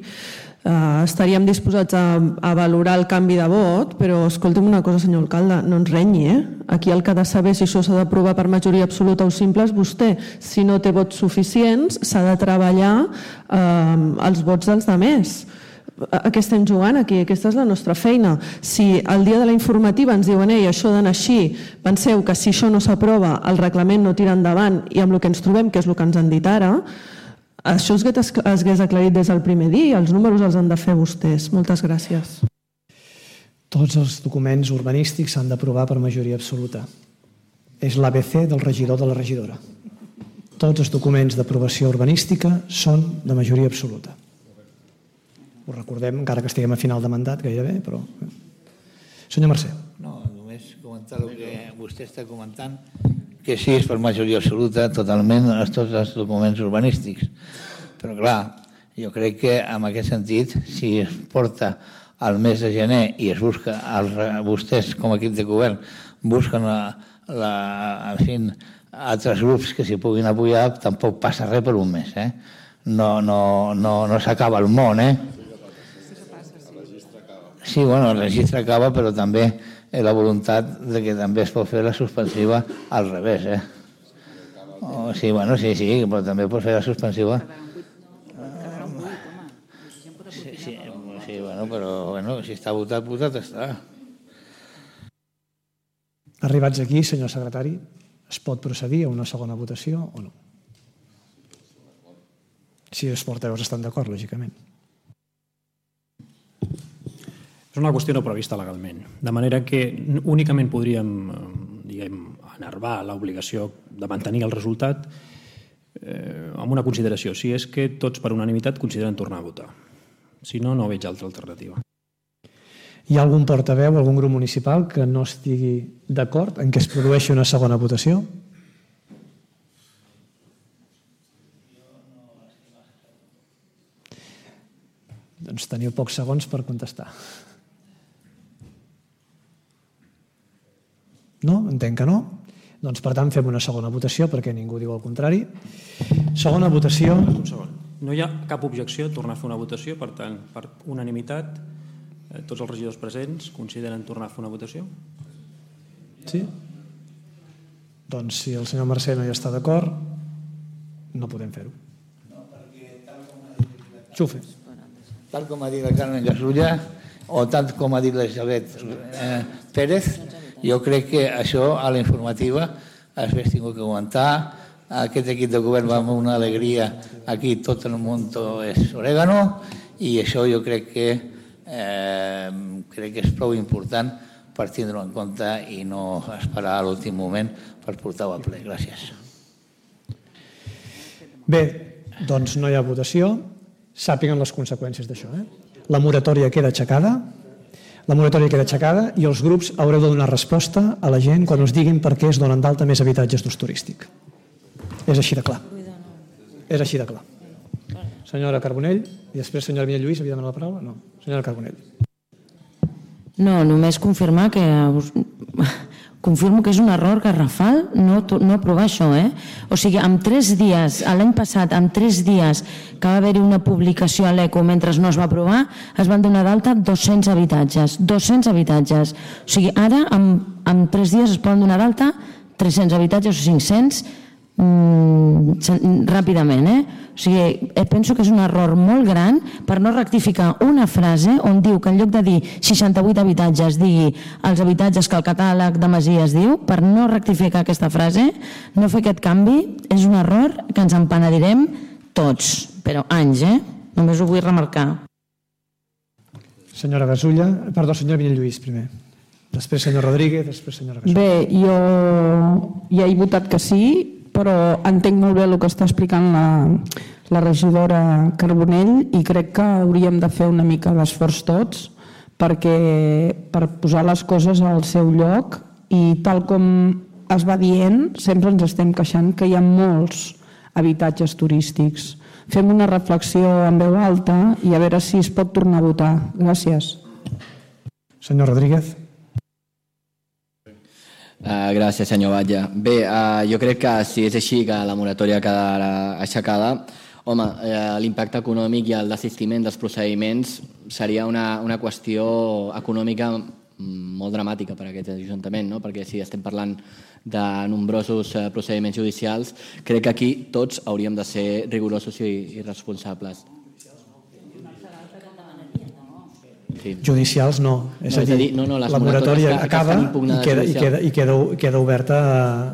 K: Uh, estaríem disposats a, a valorar el canvi de vot, però escolti'm una cosa, senyor alcalde, no ens renyi, eh? Aquí el que ha de saber si això s'ha d'aprovar per majoria absoluta o simple és vostè. Si no té vots suficients, s'ha de treballar uh, els vots dels altres. A què estem jugant aquí? Aquesta és la nostra feina. Si el dia de la informativa ens diuen ei, això d'anar així, penseu que si això no s'aprova, el reglament no tira endavant i amb el que ens trobem, que és el que ens han dit ara, això es hagués aclarit des del primer dia i els números els han de fer vostès. Moltes gràcies.
E: Tots els documents urbanístics s'han d'aprovar per majoria absoluta. És l'A B C del regidor de la regidora. Tots els documents d'aprovació urbanística són de majoria absoluta. Ho recordem, encara que estiguem a final de mandat, gairebé, però... Senyor Mercè.
G: No, només comentar el que vostè està comentant, que sí, és per majoria absoluta totalment a tots els documents urbanístics. Però clar, jo crec que en aquest sentit, si es porta al mes de gener i es busca, els, vostès com a equip de govern busquen la, la, en fi, altres grups que s'hi puguin apoyar, tampoc passa res per un mes. Eh? No, no, no, no s'acaba el món. Eh? Sí, bueno, el registre acaba, però també la voluntat de que també es pot fer la suspensiva al revés. Eh? Oh, sí, bueno, sí, sí, però també pot fer la suspensiva. Sí, sí, sí, bueno, però bueno, si està votat, votat està.
E: Arribats aquí, senyor secretari, es pot procedir a una segona votació o no? Si els portaveus estan d'acord, lògicament.
L: És una qüestió no prevista legalment, de manera que únicament podríem, diguem, enervar l'obligació de mantenir el resultat eh, amb una consideració, si és que tots per unanimitat consideren tornar a votar. Si no, no veig altra alternativa.
E: Hi ha algun portaveu, algun grup municipal que no estigui d'acord en que es produeixi una segona votació? Doncs teniu pocs segons per contestar. No? Entenc que no. Doncs, per tant, fem una segona votació perquè ningú diu el contrari. Segona votació.
L: Un segon. No hi ha cap objecció a tornar a fer una votació, per tant, per unanimitat, tots els regidors presents consideren tornar a fer una votació?
E: Sí? Doncs, si el senyor Mercè no hi està d'acord, no podem fer-ho. Xufe.
G: Tal com ha dit la Carmen Gasulla o tal com ha dit l'Elisabet eh, Pérez, jo crec que això a la informativa has tingut que aguantar. Aquest equip de govern va amb una alegria, aquí tot el món és orégano, i això jo crec que eh, crec que és prou important per tindre-ho en compte i no esperar a l'últim moment per portar-ho al ple. Gràcies.
E: Bé, doncs no hi ha votació. Sàpiguen les conseqüències d'això. Eh? La moratòria queda aixecada, la moratòria queda aixecada i els grups haureu de donar resposta a la gent quan us diguin per què es donen d'alta més habitatges d'ús turístic. És així de clar. És així de clar. Senyora Carbonell, i després senyora Vinyet Lluís, havia demanat la paraula? No. Senyora Carbonell.
D: No, només confirmar que... Confirmo que és un error garrafal no, no aprovar això, eh? O sigui, en tres dies, l'any passat, en tres dies que va haver-hi una publicació a l'ECO mentre no es va aprovar, es van donar d'alta dos-cents habitatges. dos-cents habitatges. O sigui, ara, en, en tres dies es poden donar d'alta tres-cents habitatges o cinc-cents mm, ràpidament, eh? O sigui, penso que és un error molt gran per no rectificar una frase on diu que en lloc de dir seixanta-vuit habitatges digui els habitatges que el catàleg de Masies diu, per no rectificar aquesta frase, no fer aquest canvi, és un error que ens en penedirem tots, però anys, eh? Només ho vull remarcar.
E: Senyora Gasulla, perdó, senyora Vinyet Lluís primer. Després senyor Rodríguez, després senyora Gasulla.
M: Bé, jo ja he votat que sí, però entenc molt bé el que està explicant la, la regidora Carbonell i crec que hauríem de fer una mica d'esforç tots perquè, per posar les coses al seu lloc, i tal com es va dient, sempre ens estem queixant que hi ha molts habitatges turístics. Fem una reflexió en veu alta i a veure si es pot tornar a votar. Gràcies.
E: Senyor Rodríguez.
H: Uh, gràcies, senyor Batlle. Bé, uh, jo crec que si és així que la moratòria quedarà aixecada, home, uh, l'impacte econòmic i el desistiment dels procediments seria una, una qüestió econòmica molt dramàtica per a aquest ajuntament, no? Perquè si estem parlant de nombrosos uh, procediments judicials, crec que aquí tots hauríem de ser rigorosos i, i responsables. Sí.
E: Judicials no, és
H: no,
E: a dir,
H: dir no, no,
E: la moratòria que, acaba que i, queda, i, queda, i queda, queda oberta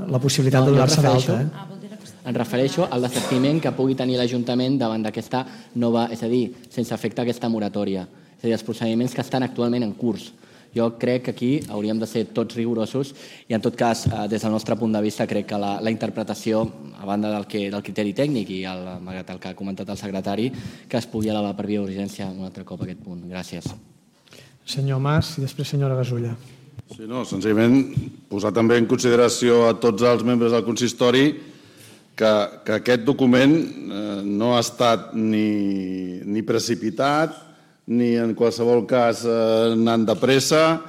E: la possibilitat no, de donar-se d'alta. Eh?
H: Em refereixo al desistiment que pugui tenir l'Ajuntament davant d'aquesta nova, és a dir, sense efecte aquesta moratòria, és a dir, els procediments que estan actualment en curs. Jo crec que aquí hauríem de ser tots rigorosos i, en tot cas, des del nostre punt de vista, crec que la, la interpretació, a banda del, que, del criteri tècnic i el, el que ha comentat el secretari, que es pugui elevar per via d'urgència un altre cop aquest punt. Gràcies.
E: Senyor Mas i després senyora Gasulla.
J: Sí, no, senzillament posar també en consideració a tots els membres del consistori que, que aquest document eh, no ha estat ni, ni precipitat ni en qualsevol cas anant de pressa,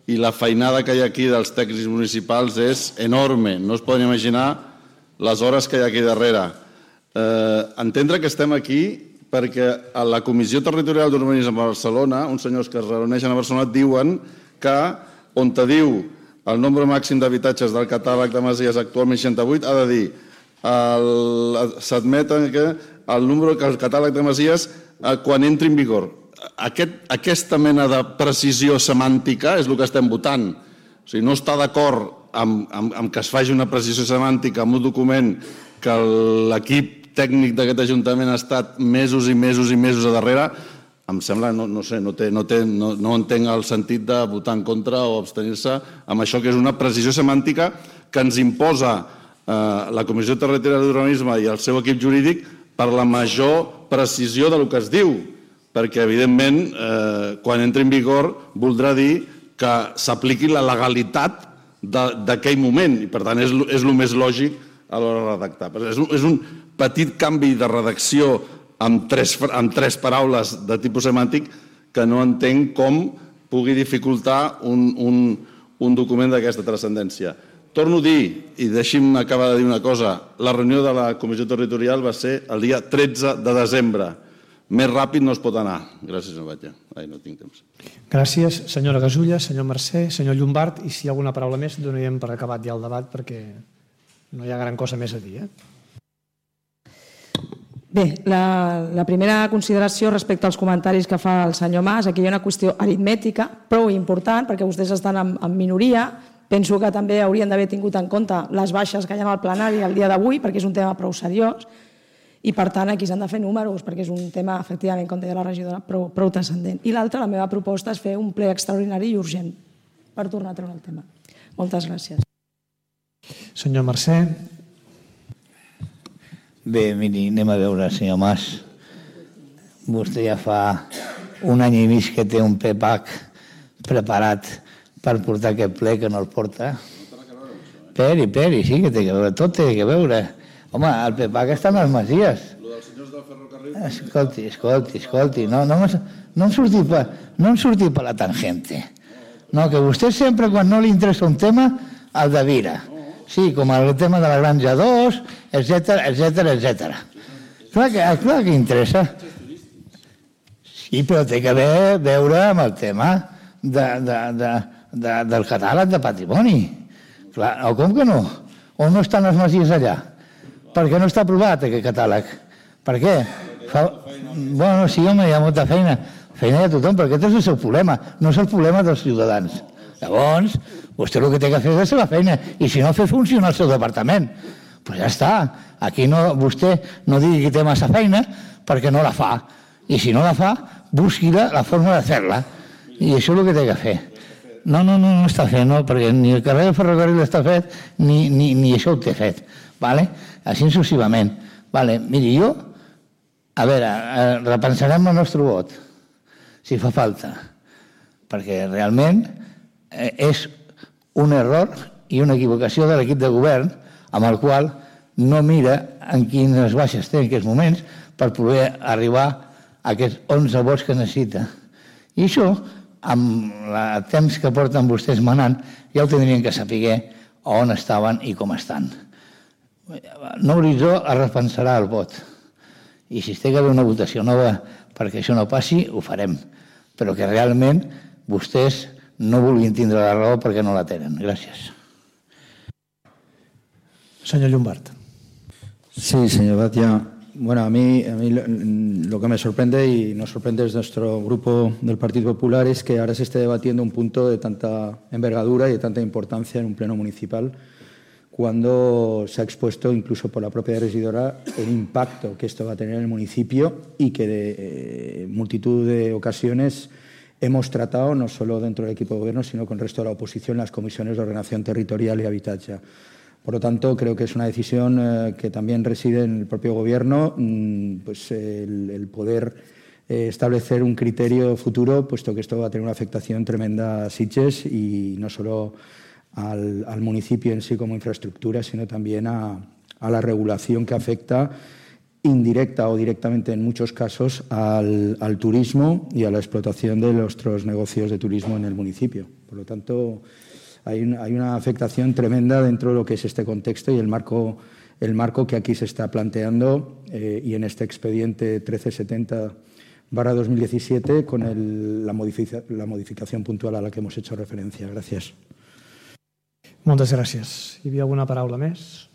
J: i la feinada que hi ha aquí dels tècnics municipals és enorme. No es poden imaginar les hores que hi ha aquí darrere. Entendre que estem aquí perquè a la Comissió Territorial d'Urbanisme de Barcelona, uns senyors que es reuneixen a Barcelona, diuen que on te diu el nombre màxim d'habitatges del catàleg de masies actualment seixanta-vuit, ha de dir, s'admeten que el número que el catàleg de masies quan entri en vigor. Aquesta mena de precisió semàntica és el que estem votant. O sigui, no està d'acord amb que es faci una precisió semàntica en un document que l'equip tècnic d'aquest Ajuntament ha estat mesos i mesos i mesos a darrere. Em sembla, no sé, no entenc el sentit de votar en contra o abstenir-se amb això que és una precisió semàntica que ens imposa la Comissió Territorial d'Urbanisme i el seu equip jurídic per la major precisió del que es diu, perquè, evidentment, quan entri en vigor, voldrà dir que s'apliqui la legalitat d'aquell moment, i, per tant, és el més lògic a l'hora de redactar. És un petit canvi de redacció amb tres paraules de tipus semàntic que no entenc com pugui dificultar un document d'aquesta transcendència. Torno a dir, i deixi'm acabar de dir una cosa, la reunió de la Comissió Territorial va ser el dia tretze de desembre. Més ràpid no es pot anar. Gràcies, senyor Batlle. Ai, no tinc temps.
E: Gràcies, senyora Gasulla, senyor Mercè, senyor Llombart, i si hi ha alguna paraula més, donaríem per acabat ja el debat perquè no hi ha gran cosa més a dir.
F: Bé, la primera consideració respecte als comentaris que fa el senyor Mas, aquí hi ha una qüestió aritmètica prou important perquè vostès estan en minoria. Penso que també haurien d'haver tingut en compte les baixes que hi ha al plenari el dia d'avui perquè és un tema prou seriós. I, per tant, aquí s'han de fer números, perquè és un tema, efectivament, com deia la regidora, prou transcendent. I l'altra, la meva proposta és fer un ple extraordinari i urgent per tornar a treure el tema. Moltes gràcies.
E: Senyor Mercè.
G: Bé, miri, anem a veure, senyor Mas. Vostè ja fa un any i mig que té un P P A C preparat per portar aquest ple que no el porta. Peri, peri, sí que té que veure, tot té que veure. Home, el P P A C està en les masies. Lo dels senyors del ferrocarril... Escolti, escolti, escolti, no em surti per la tangente. No, que vostè sempre, quan no li interessa un tema, el devira. Sí, com el tema de la Granja dos, etcètera, etcètera, etcètera. Clar que interessa. Sí, però té que veure amb el tema del catàleg de patrimoni. Clar, o com que no? O no estan les masies allà? Per què no està aprovat aquest catàleg? Per què? Bueno, sí, home, hi ha molta feina. Feina de tothom, perquè aquest és el seu problema, no és el problema dels ciutadans. Llavors, vostè el que té que fer és la seva feina, i si no, fer funcionar el seu departament. Doncs ja està. Aquí vostè no digui que té massa feina perquè no la fa. I si no la fa, busqui la forma de fer-la. I això és el que té que fer. No, no, no, no està fet, no, perquè ni el carrer del ferrocarril està fet, ni això ho té fet. Així successivament. Miri, jo, a veure, repensarem el nostre vot, si fa falta, perquè realment és un error i una equivocació de l'equip de govern amb el qual no mira en quines baixes té en aquests moments per poder arribar a aquests onze vots que necessita. I això, amb el temps que porten vostès manant, ja ho tindrien que saber on estaven i com estan. Nou horitzó es repensarà el vot. I si es té que haver una votació nova perquè això no passi, ho farem. Però que realment vostès no vulguin tindre la raó perquè no la tenen. Gràcies.
E: Senyor Llombart.
N: Sí, señor Batia. Bueno, a mí, a mí lo, lo que me sorprende y nos sorprende desde nuestro grupo del Partido Popular es que ahora se esté debatiendo un punto de tanta envergadura y de tanta importancia en un pleno municipal cuando se ha expuesto incluso por la propia regidora el impacto que esto va a tener en el municipio y que de eh, multitud de ocasiones hemos tratado no solo dentro del equipo de gobierno sino con el resto de la oposición en las comisiones de ordenación territorial y habitatge. Por lo tanto, creo que es una decisión eh, que también reside en el propio Gobierno, mmm, pues el, el poder eh, establecer un criterio futuro, puesto que esto va a tener una afectación tremenda a Sitges y no solo al, al municipio en sí como infraestructura, sino también a, a la regulación que afecta indirecta o directamente en muchos casos al, al turismo y a la explotación de nuestros negocios de turismo en el municipio. Por lo tanto, hay una, hay una afectación tremenda dentro de lo que es este contexto y el marco, el marco que aquí se está planteando eh, y en este expediente trece setenta barra dos mil diecisiete con el, la, modifica, la modificación puntual a la que hemos hecho referència. Gràcies.
E: Moltes gràcies. Hi havia alguna paraula més?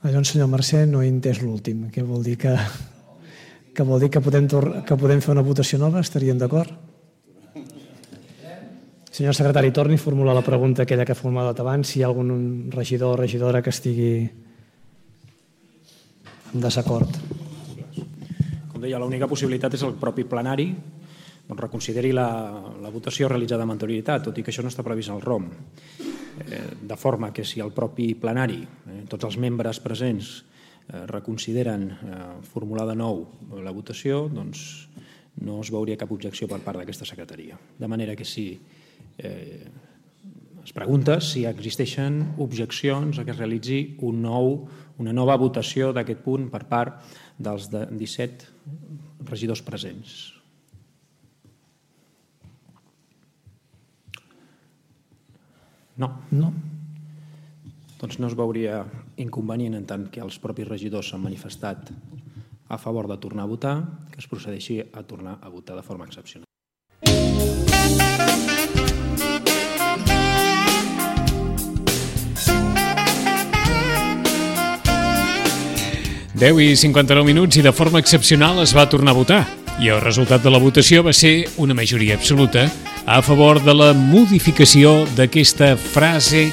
E: Llavors, senyor Mercè, no he entès l'últim. Què vol dir que, que vol dir que podem, que podem fer una votació nova? Estaríem d'acord? Senyor secretari, torni a formular la pregunta aquella que ha formulat abans, si hi ha algun regidor o regidora que estigui en desacord.
L: Com deia, l'única possibilitat és el propi plenari doncs reconsideri la, la votació realitzada amb anterioritat, tot i que això no està previst al R O M. De forma que si el propi plenari, eh, tots els membres presents eh, reconsideren eh, formular de nou la votació, doncs no es veuria cap objecció per part d'aquesta secretaria. De manera que si eh, es pregunta si existeixen objeccions a que es realitzi un nou, una nova votació d'aquest punt per part dels disset regidors presents. No.
E: No.
L: Doncs no es veuria inconvenient en tant que els propis regidors s'han manifestat a favor de tornar a votar, que es procedeixi a tornar a votar de forma excepcional.
B: deu i cinquanta-nou minuts i de forma excepcional es va tornar a votar. I el resultat de la votació va ser una majoria absoluta a favor de la modificació d'aquesta frase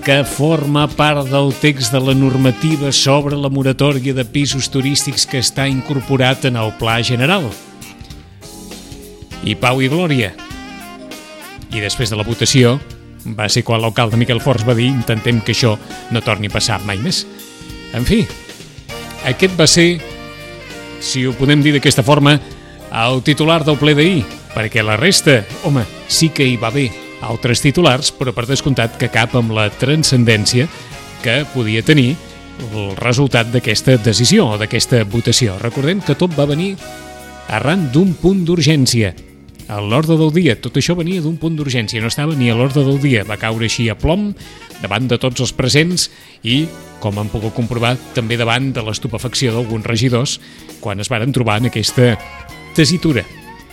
B: que forma part del text de la normativa sobre la moratòria de pisos turístics que està incorporat en el Pla General. I pau i glòria. I després de la votació va ser quan l'alcalde Miquel Forns va dir intentem que això no torni a passar mai més. En fi, aquest va ser, si ho podem dir d'aquesta forma, el titular del ple d'ahir, perquè la resta, home, sí que hi va haver altres titulars, però per descomptat que cap amb la transcendència que podia tenir el resultat d'aquesta decisió o d'aquesta votació. Recordem que tot va venir arran d'un punt d'urgència. A l'ordre del dia, tot això venia d'un punt d'urgència, no estava ni a l'ordre del dia, va caure així a plom davant de tots els presents i, com han pogut comprovar, també davant de l'estupefacció d'alguns regidors quan es varen trobar en aquesta tesitura.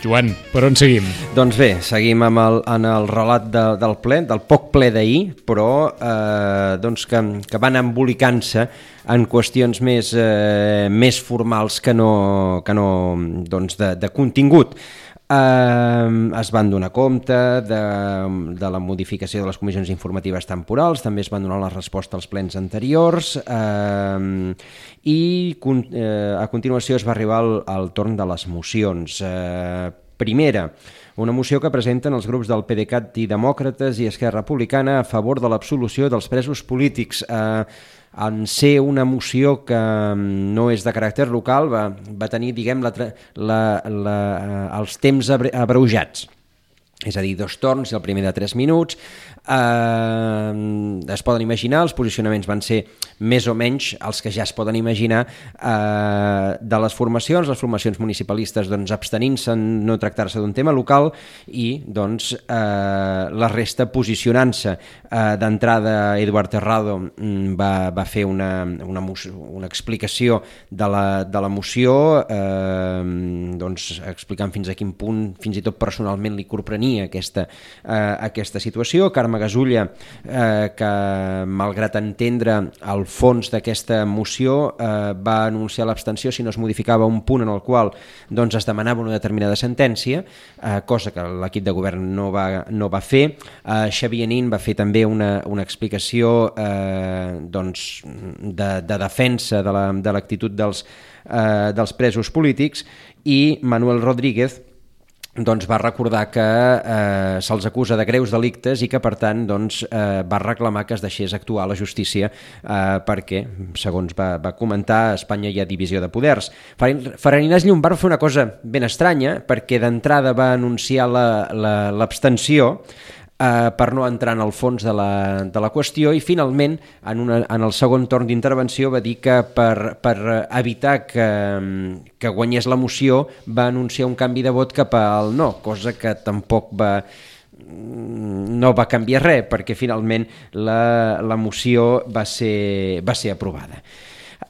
B: Joan, per on seguim?
C: Doncs bé, seguim amb el, en el relat de, del ple, del poc ple d'ahir, però eh, doncs que, que van embolicant-se en qüestions més, eh, més formals que no, que no doncs de, de contingut. Uh, es van donar compte de, de la modificació de les comissions informatives temporals, també es van donar la resposta als plens anteriors uh, i uh, a continuació es va arribar al, al torn de les mocions. Uh, primera, una moció que presenten els grups del PDeCAT i Demòcrates i Esquerra Republicana a favor de l'absolució dels presos polítics. Uh, en ser una moció que no és de caràcter local, va, va tenir, diguem, la, la, la, els temps abreujats. És a dir, dos torns i el primer de tres minuts. Eh, es poden imaginar, els posicionaments van ser més o menys els que ja es poden imaginar eh, de les formacions, les formacions municipalistes doncs, abstenint-se en no tractar-se d'un tema local i doncs, eh, la resta posicionant-se. Eh, d'entrada, Eduard Terrado va, va fer una, una, una explicació de la, de la moció, eh, doncs, explicant fins a quin punt, fins i tot personalment li corprenia aquesta, eh, aquesta situació. Carme Gasulla, eh, que malgrat entendre el fons d'aquesta moció, eh, va anunciar l'abstenció si no es modificava un punt en el qual doncs, es demanava una determinada sentència, eh, cosa que l'equip de govern no va, no va fer. Eh, Xavier Nin va fer també una, una explicació eh, doncs, de, de defensa de la, de l'actitud dels, eh, dels presos polítics i Manuel Rodríguez doncs va recordar que eh, se'ls acusa de greus delictes i que, per tant, doncs, eh, va reclamar que es deixés actuar la justícia eh, perquè, segons va, va comentar, a Espanya hi ha divisió de poders. Farinàs Llombart va fer una cosa ben estranya perquè d'entrada va anunciar l'abstenció, la, eh, per no entrar en el fons de la, de la qüestió, i finalment en, una, en el segon torn d'intervenció va dir que per, per evitar que, que guanyés la moció va anunciar un canvi de vot cap al no, cosa que tampoc va no va canviar res, perquè finalment la, la moció va ser, va ser aprovada.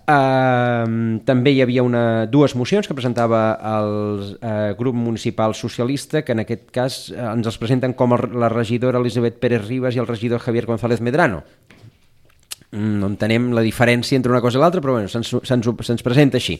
C: Uh, també hi havia una, dues mocions que presentava el uh, grup municipal socialista, que en aquest cas uh, ens els presenten com el, la regidora Elisabet Pérez Ribas i el regidor Javier González Medrano. No entenem la diferència entre una cosa i l'altra, però bueno, se'ns, se'ns, se'ns presenta així.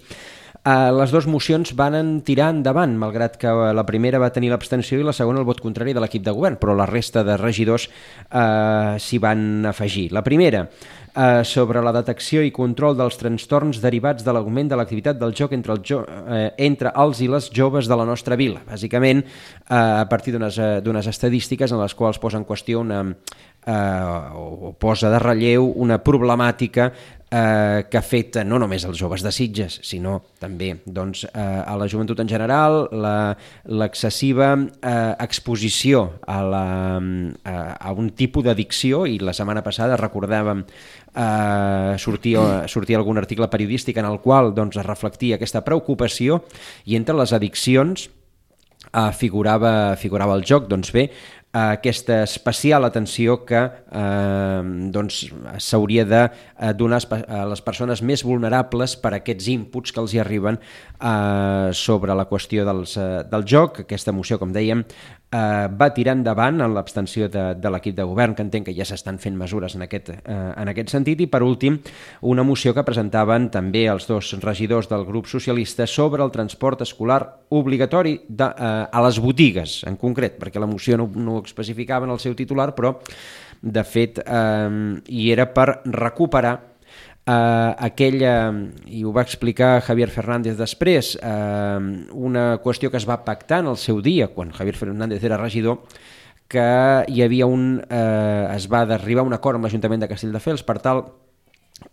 C: Uh, les dues mocions van tirar endavant, malgrat que la primera va tenir l'abstenció i la segona el vot contrari de l'equip de govern, però la resta de regidors uh, s'hi van afegir. La primera, Uh, sobre la detecció i control dels trastorns derivats de l'augment de l'activitat del joc entre, el jo, uh, entre els i les joves de la nostra vila. Bàsicament, uh, a partir d'unes, uh, d'unes estadístiques en les quals posa en qüestió una, uh, o posa de relleu una problemàtica eh, que afecta no només els joves de Sitges, sinó també doncs, eh, a la joventut en general, la, l'excessiva eh, exposició a, la, a, a un tipus d'addicció, i la setmana passada recordàvem eh, sortia, sortia algun article periodístic en el qual doncs, es reflectia aquesta preocupació, i entre les addiccions eh, figurava, figurava el joc. Doncs bé, aquesta especial atenció que eh, doncs, s'hauria de donar a les persones més vulnerables per aquests inputs que els hi arriben eh, sobre la qüestió dels, eh, del joc. Aquesta moció, com dèiem, eh, va tirar endavant en l'abstenció de, de l'equip de govern, que entenc que ja s'estan fent mesures en aquest, eh, en aquest sentit. I per últim, una moció que presentaven també els dos regidors del grup socialista sobre el transport escolar obligatori de, eh, a les botigues, en concret, perquè la moció no, no especificava en el seu titular, però de fet eh, hi era per recuperar eh, aquella, i ho va explicar Javier Fernández després, eh, una qüestió que es va pactar en el seu dia, quan Javier Fernández era regidor, que hi havia un, eh, es va arribar a un acord amb l'Ajuntament de Castelldefels per tal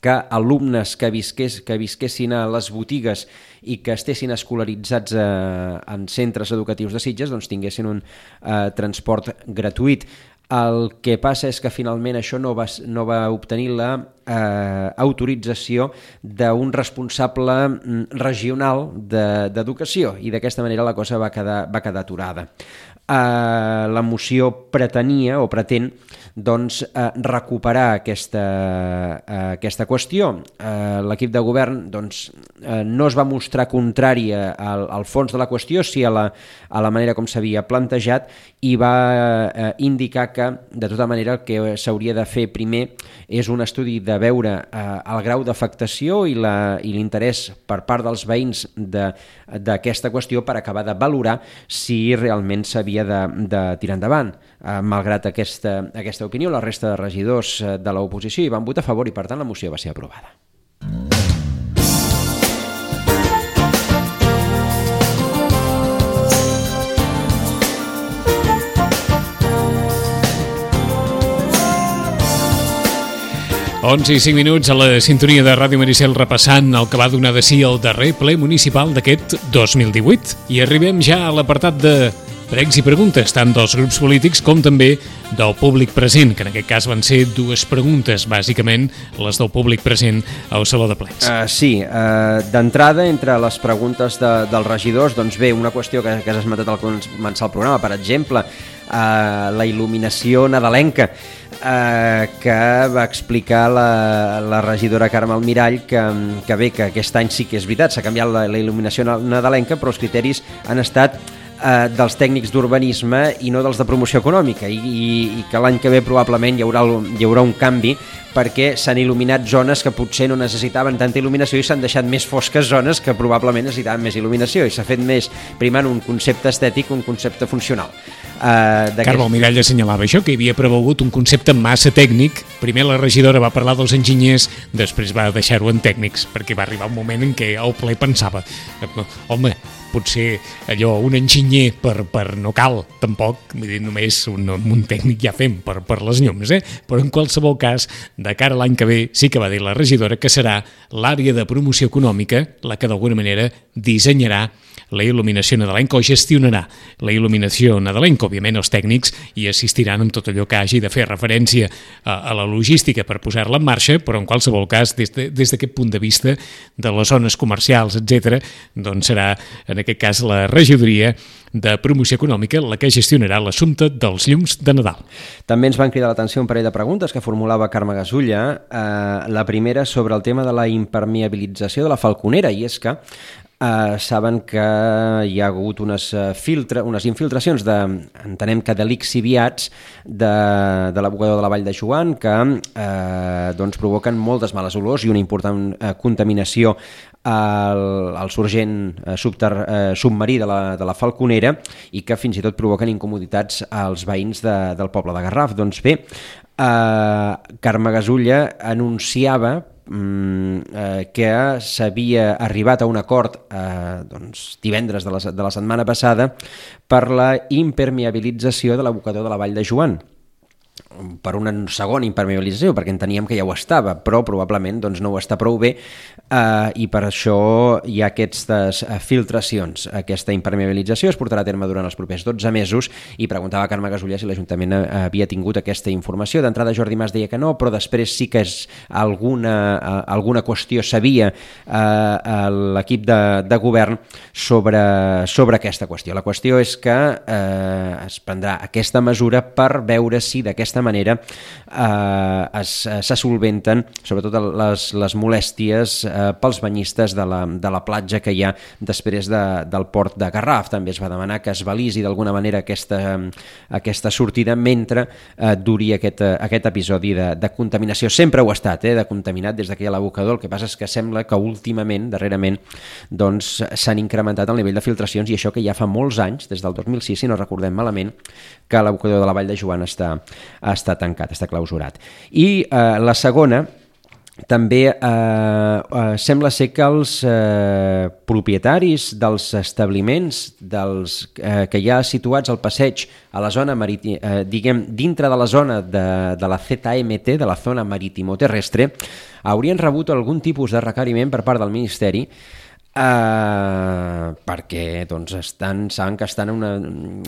C: que alumnes que, visqués, que visquessin a les botigues i que estessin escolaritzats eh, en centres educatius de Sitges doncs tinguessin un eh, transport gratuït. El que passa és que finalment això no va, no va obtenir la eh, autorització d'un responsable regional de, d'educació, i d'aquesta manera la cosa va quedar, va quedar aturada. Eh, la moció pretenia o pretén doncs, eh, recuperar aquesta, eh, aquesta qüestió. Eh, l'equip de govern doncs, eh, no es va mostrar contrari al, al fons de la qüestió, sí a la, a la manera com s'havia plantejat, i va eh, indicar que de tota manera el que s'hauria de fer primer és un estudi de veure eh, el grau d'afectació i, la, i l'interès per part dels veïns de, d'aquesta qüestió per acabar de valorar si realment s'havia de, de tirar endavant. Eh, malgrat aquesta, aquesta opinió, la resta de regidors de l'oposició hi van votar a favor i per tant la moció va ser aprovada.
B: onze i cinc minuts a la sintonia de Ràdio Maricel, repassant el que va donar de sí el darrer ple municipal d'aquest dos mil divuit. I arribem ja a l'apartat de pregs i preguntes, tant dels grups polítics com també del públic present, que en aquest cas van ser dues preguntes, bàsicament les del públic present al Saló de Plens.
C: Uh, sí, uh, d'entrada, entre les preguntes de, dels regidors, doncs bé, una qüestió que, que has esmentat al començar el programa, per exemple, uh, la il·luminació nadalenca, uh, que va explicar la, la regidora Carme Almirall que, que bé, que aquest any sí que és veritat, s'ha canviat la, la il·luminació nadalenca, però els criteris han estat Eh, dels tècnics d'urbanisme i no dels de promoció econòmica, i, i, i que l'any que ve probablement hi haurà, hi haurà un canvi, perquè s'han il·luminat zones que potser no necessitaven tanta il·luminació i s'han deixat més fosques zones que probablement necessitaven més il·luminació, i s'ha fet més primant un concepte estètic que un concepte funcional. Uh,
B: Carme Almirall assenyalava això, que hi havia prevalgut un concepte massa tècnic. Primer la regidora va parlar dels enginyers, després va deixar-ho en tècnics, perquè va arribar un moment en què el ple pensava, home, potser allò, un enginyer per, per no cal, tampoc, vull dir, només un, un tècnic ja fem per, per les llums, eh? Però en qualsevol cas, de cara a l'any que ve, sí que va dir la regidora que serà l'àrea de promoció econòmica la que d'alguna manera dissenyarà la il·luminació nadalenca o gestionarà la il·luminació nadalenca. Òbviament els tècnics hi assistiran amb tot allò que hagi de fer referència a, a la logística per posar-la en marxa, però en qualsevol cas, des de, des d'aquest punt de vista de les zones comercials, etcètera, doncs serà en aquest cas la regidoria de promoció econòmica la que gestionarà l'assumpte dels llums de Nadal.
C: També ens van cridar l'atenció un parell de preguntes que formulava Carme Gasulla. Eh, la primera sobre el tema de la impermeabilització de la Falconera, i és que eh, saben que hi ha hagut unes, filtra, unes infiltracions de, entenem que de lixiviats de, de l'abocador de la Vall de Joan que eh, doncs provoquen moltes males olors i una important eh, contaminació al, al sorgent eh, subter, eh, submarí de la, de la Falconera i que fins i tot provoquen incomoditats als veïns de, del poble de Garraf. Doncs bé, eh, Carme Gasulla anunciava eh, que s'havia arribat a un acord eh, doncs, divendres de la, de la setmana passada per la impermeabilització de l'abocador de la Vall de Joan, per una segona impermeabilització, perquè enteníem que ja ho estava, però probablement doncs, no ho està prou bé eh, i per això hi ha aquestes filtracions. Aquesta impermeabilització es portarà a terme durant els propers dotze mesos i preguntava a Carme Gasulla si l'Ajuntament havia tingut aquesta informació. D'entrada Jordi Mas deia que no, però després sí que és alguna, alguna qüestió sabia eh, l'equip de, de govern sobre, sobre aquesta qüestió. La qüestió és que eh, es prendrà aquesta mesura per veure si d'aquesta manera eh, se solventen sobretot les, les molèsties eh, pels banyistes de la, de la platja que hi ha després de, del port de Garraf. També es va demanar que es balisi d'alguna manera aquesta, aquesta sortida mentre eh, duri aquest, aquest episodi de, de contaminació. Sempre ho ha estat, eh, de contaminat des que hi ha l'abocador. El que passa és que sembla que últimament, darrerament, doncs s'han incrementat el nivell de filtracions i això que ja fa molts anys, des del dos mil sis, si no recordem malament, que l'abocador de la Vall de Joan està està tancat, està clausurat. I eh, la segona, també eh, eh, sembla ser que els eh, propietaris dels establiments dels, eh, que hi ha situats al passeig a la zona marítima, eh, diguem, dintre de la zona de, de la Z M T, de la zona marítimo-terrestre, haurien rebut algun tipus de requeriment per part del Ministeri Uh, perquè doncs estan, saben que estan una,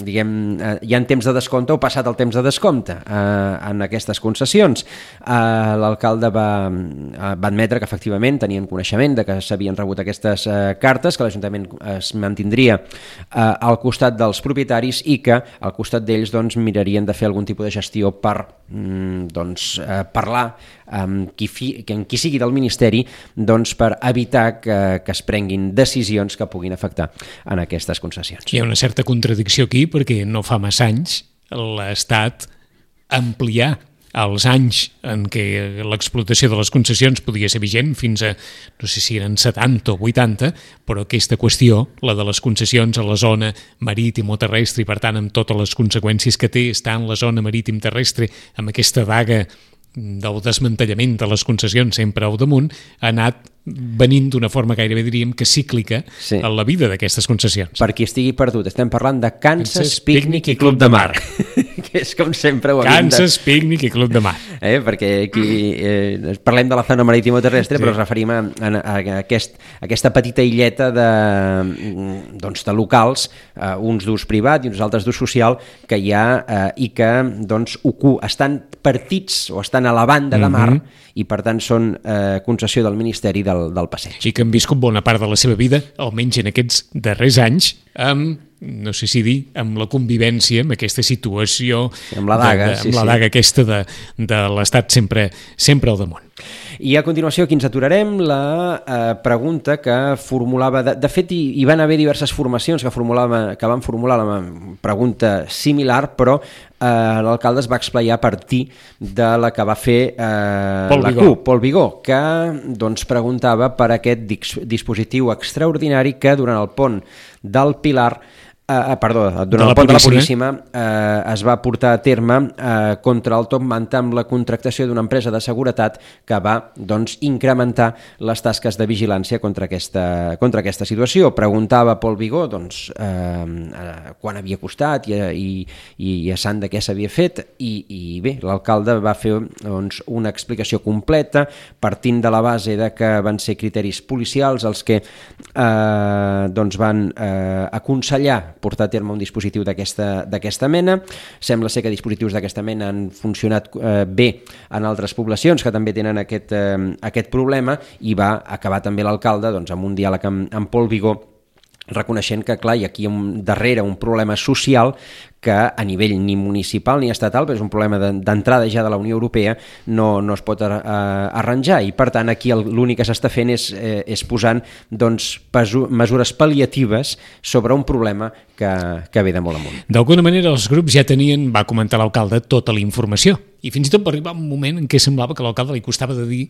C: diguem, uh, hi ha temps de descompte o passat el temps de descompte uh, en aquestes concessions. Uh, l'alcalde va, uh, va admetre que efectivament tenien coneixement de que s'havien rebut aquestes uh, cartes, que l'Ajuntament es mantindria uh, al costat dels propietaris i que al costat d'ells doncs, mirarien de fer algun tipus de gestió per mm, doncs, uh, parlar amb qui, fi, amb qui sigui del Ministeri doncs, per evitar que, que es prenguin decisions que puguin afectar en aquestes concessions.
B: Hi ha una certa contradicció aquí perquè no fa massa anys l'Estat ampliar els anys en què l'explotació de les concessions podia ser vigent fins a, no sé si eren setanta o vuitanta, però aquesta qüestió, la de les concessions a la zona marítim o terrestre i per tant amb totes les conseqüències que té estar en la zona marítim terrestre amb aquesta vaga del desmantellament de les concessions sempre al damunt, ha anat venint d'una forma gairebé diríem que cíclica sí. en la vida d'aquestes concessions.
C: Per qui estigui perdut, estem parlant de Kansas, Pícnic i Club de Mar, que és com sempre ho havíem de...
B: Kansas, Pícnic i Club de Mar.
C: Eh, perquè aquí eh, parlem de la zona marítima-terrestre, sí. però ens referim a, a, a, aquest, a aquesta petita illeta de, doncs, de locals, eh, uns d'ús privat i uns altres d'ús social, que hi ha eh, i que doncs, ocu, estan partits o estan a la banda de mar mm-hmm. i per tant són eh, concessió del Ministeri del, del passeig.
B: I que han viscut bona part de la seva vida, almenys en aquests darrers anys, amb, no sé si dir, amb la convivència, amb aquesta situació,
C: amb la daga,
B: de, de,
C: sí,
B: amb la
C: sí.
B: daga aquesta de, de l'Estat sempre, sempre al damunt.
C: I a continuació aquí ens aturarem la eh, pregunta que formulava, de, de fet hi, hi van haver diverses formacions que, formulava, que van formular la pregunta similar, però eh, l'alcalde es va explicar a partir de la que va fer eh,
B: Pol
C: la
B: Vigó.
C: CUP, Pol Vigó, que doncs, preguntava per aquest dispositiu extraordinari que durant el pont del Pilar Uh, perdó, durant el pont de la Puríssima uh, es va portar a terme uh, contra el Top Manta amb la contractació d'una empresa de seguretat que va doncs, incrementar les tasques de vigilància contra aquesta, contra aquesta situació. Preguntava Pol Vigó doncs, uh, uh, quan havia costat i, i, i a sant de què s'havia fet i, i bé, l'alcalde va fer doncs, una explicació completa partint de la base de que van ser criteris policials els que uh, doncs van uh, aconsellar portar a terme un dispositiu d'aquesta mena. Sembla ser que dispositius d'aquesta mena han funcionat eh, bé en altres poblacions que també tenen aquest, eh, aquest problema i va acabar també l'alcalde doncs, amb un diàleg amb, amb Pol Vigó reconeixent que clar, hi ha aquí un, darrere un problema social que a nivell ni municipal ni estatal, però és un problema d'entrada ja de la Unió Europea, no, no es pot arranjar i per tant aquí l'únic que s'està fent és, eh, és posant doncs, pesu, mesures pal·liatives sobre un problema que, que ve de molt amunt.
B: D'alguna manera els grups ja tenien, va comentar l'alcalde, tota la informació i fins i tot va arribar un moment en què semblava que a l'alcalde li costava de dir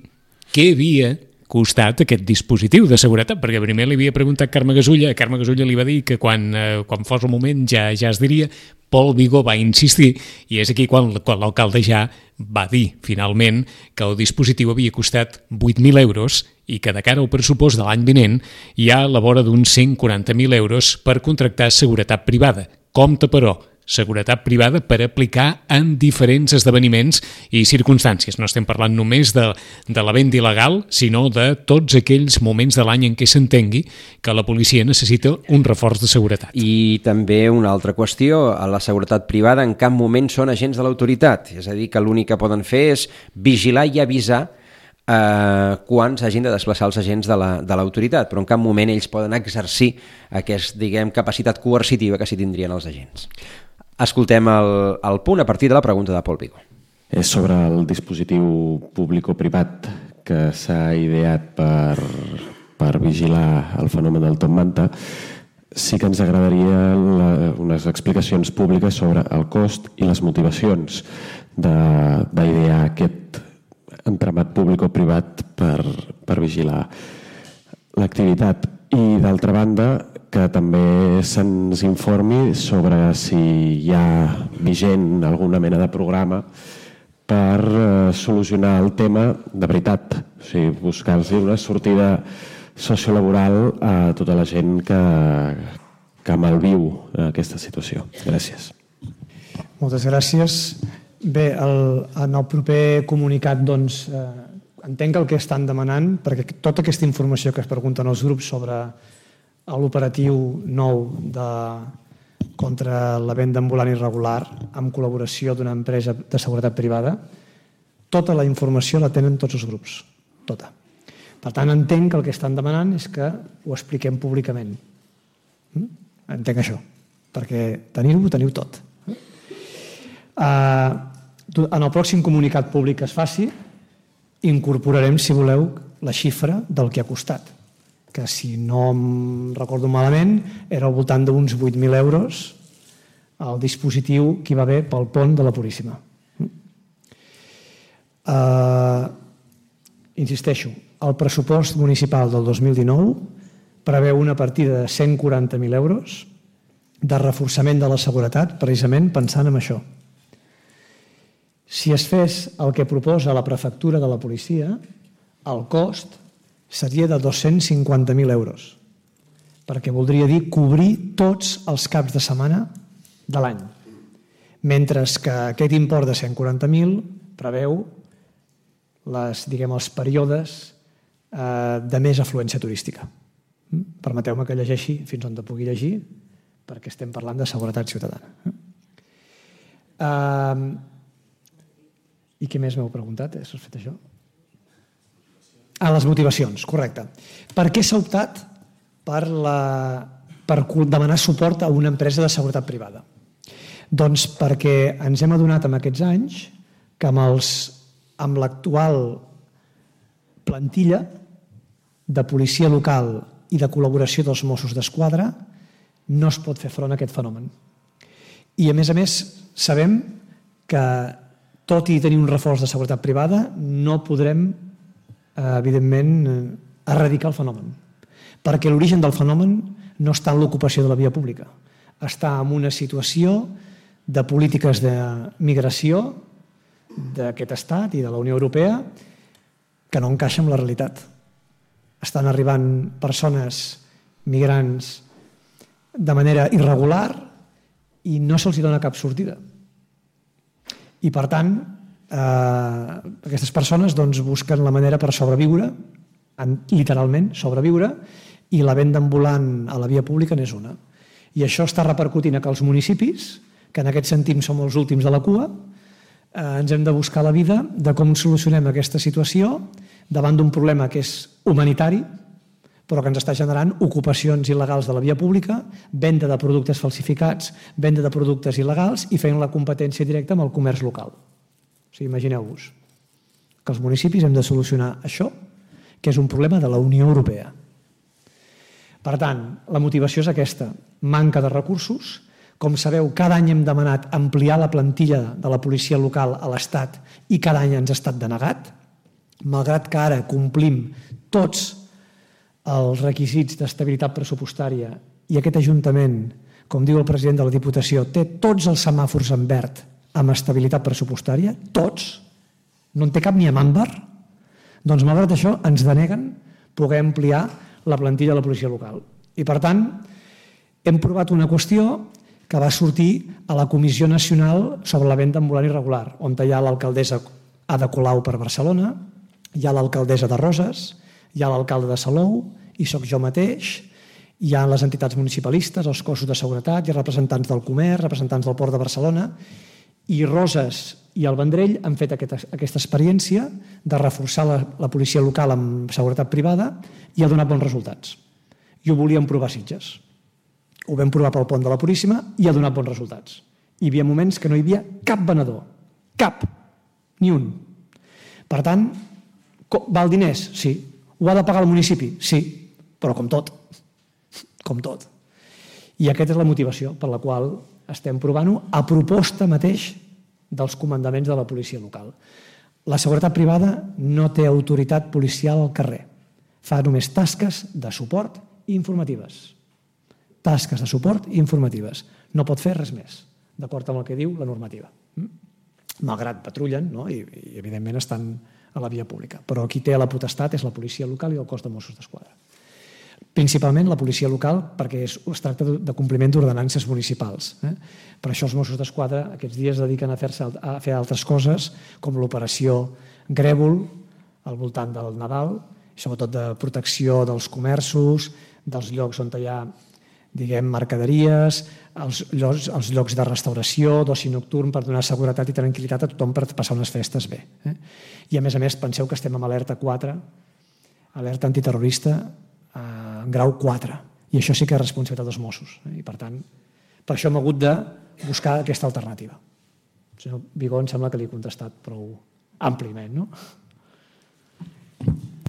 B: què havia costat aquest dispositiu de seguretat, perquè primer li havia preguntat Carme Gasulla, Carme Gasulla li va dir que quan, eh, quan fos el moment ja, ja es diria, Pol Vigó va insistir i és aquí quan, quan l'alcalde ja va dir finalment que el dispositiu havia costat vuit mil euros i que de cara al pressupost de l'any vinent hi ha a la vora d'uns cent quaranta mil euros per contractar seguretat privada. Compte, però, seguretat privada per aplicar en diferents esdeveniments i circumstàncies. No estem parlant només de, de la venda il·legal, sinó de tots aquells moments de l'any en què s'entengui que la policia necessita un reforç de seguretat.
C: I també una altra qüestió, a la seguretat privada en cap moment són agents de l'autoritat, és a dir, que l'únic que poden fer és vigilar i avisar eh, quan s'hagin de desplaçar els agents de l'autoritat, la, però en cap moment ells poden exercir aquesta, diguem, capacitat coercitiva que s'hi tindrien els agents. Escoltem el, el punt a partir de la pregunta de Pol Vigó.
O: És sobre el dispositiu públic-privat que s'ha ideat per, per vigilar el fenomen del Top Manta. Sí que ens agradaria la, unes explicacions públiques sobre el cost i les motivacions d'idear aquest entramat públic-privat per, per vigilar l'activitat. I d'altra banda, que també se'ns informi sobre si hi ha vigent alguna mena de programa per eh, solucionar el tema de veritat, o sigui, buscar-se una sortida sociolaboral a tota la gent que, que malviu aquesta situació. Gràcies.
E: Moltes gràcies. Bé, el, en el proper comunicat doncs, eh, entenc el que estan demanant, perquè tota aquesta informació que es pregunten els grups sobre l'operatiu nou de, contra la venda ambulant irregular amb col·laboració d'una empresa de seguretat privada, tota la informació la tenen tots els grups, tota. Per tant, entenc que el que estan demanant és que ho expliquem públicament. Entenc això, perquè tenir-ho, teniu tot. En el pròxim comunicat públic que es faci, incorporarem, si voleu, la xifra del que ha costat, que si no em recordo malament era al voltant d'uns vuit mil euros el dispositiu que hi va haver pel pont de la Puríssima. Uh, insisteixo, el pressupost municipal del dos mil dinou preveu una partida de cent quaranta mil euros de reforçament de la seguretat, precisament pensant en això. Si es fes el que proposa la prefectura de la policia, el cost seria de dos-cents cinquanta mil euros, perquè voldria dir cobrir tots els caps de setmana de l'any, mentre que aquest import de cent quaranta mil preveu les, diguem, els períodes eh, de més afluència turística. Permeteu-me que llegeixi fins on te pugui llegir, perquè estem parlant de seguretat ciutadana. Eh, I què més m'heu preguntat? Has fet això? Ah, les motivacions, correcte. Per què s'ha optat per, la, per demanar suport a una empresa de seguretat privada? Doncs perquè ens hem adonat en aquests anys que amb, els, amb l'actual plantilla de policia local i de col·laboració dels Mossos d'Esquadra no es pot fer front a aquest fenomen. I a més a més sabem que tot i tenir un reforç de seguretat privada no podrem evidentment, erradicar el fenomen. Perquè l'origen del fenomen no està en l'ocupació de la via pública, està en una situació de polítiques de migració d'aquest estat i de la Unió Europea que no encaixa amb la realitat. Estan arribant persones migrants de manera irregular i no se'ls dona cap sortida. I, per tant, eh, aquestes persones doncs, busquen la manera per sobreviure, literalment sobreviure, i la venda ambulant a la via pública n'és una. I això està repercutint a que els municipis, que en aquest sentit som els últims de la cua, eh, ens hem de buscar la vida de com solucionem aquesta situació davant d'un problema que és humanitari, però que ens està generant ocupacions il·legals de la via pública, venda de productes falsificats, venda de productes il·legals i fent la competència directa amb el comerç local. O sigui, imagineu-vos que els municipis hem de solucionar això, que és un problema de la Unió Europea. Per tant, la motivació és aquesta, manca de recursos. Com sabeu, cada any hem demanat ampliar la plantilla de la policia local a l'Estat i cada any ens ha estat denegat, malgrat que ara complim tots els requisits d'estabilitat pressupostària i aquest Ajuntament, com diu el president de la Diputació, té tots els semàfors en verd amb estabilitat pressupostària, tots, no en té cap ni amb àmbar, doncs malgrat això ens deneguen poder ampliar la plantilla de la policia local. I per tant, hem provat una qüestió que va sortir a la Comissió Nacional sobre la venda ambulant irregular, on hi ha l'alcaldessa Ada Colau per Barcelona, hi ha l'alcaldessa de Roses, hi ha l'alcalde de Salou, i sóc jo mateix, hi ha les entitats municipalistes, els cossos de seguretat, hi ha representants del comerç, representants del Port de Barcelona, i Roses i el Vendrell han fet aquesta, aquesta experiència de reforçar la, la policia local amb seguretat privada i ha donat bons resultats. I ho volíem provar a Sitges. Ho vam provar pel pont de la Puríssima i ha donat bons resultats. Hi havia moments que no hi havia cap venedor. Cap. Ni un. Per tant, val diners? Sí. Ho ha de pagar el municipi? Sí. Però com tot. Com tot. I aquesta és la motivació per la qual estem provant-ho a proposta mateix dels comandaments de la policia local. La seguretat privada no té autoritat policial al carrer. Fa només tasques de suport i informatives. Tasques de suport i informatives. No pot fer res més, d'acord amb el que diu la normativa. Malgrat patrullen, no? I, i evidentment estan a la via pública. Però qui té la potestat és la policia local i el cos de Mossos d'Esquadra. Principalment la policia local, perquè es tracta de compliment d'ordenances municipals. Eh? Per això els Mossos d'Esquadra aquests dies es dediquen a, a fer altres coses, com l'operació Grèvol, al voltant del Nadal, i sobretot de protecció dels comerços, dels llocs on hi ha, diguem, mercaderies, els llocs, els llocs de restauració, d'oci nocturn, per donar seguretat i tranquil·litat a tothom per passar unes festes bé. Eh? I a més a més, penseu que estem amb alerta quatre, alerta antiterrorista, en grau quatre, i això sí que és responsabilitat dels Mossos, i per tant per això hem hagut de buscar aquesta alternativa. El senyor Vigó em sembla que li he contestat prou àmpliament, no?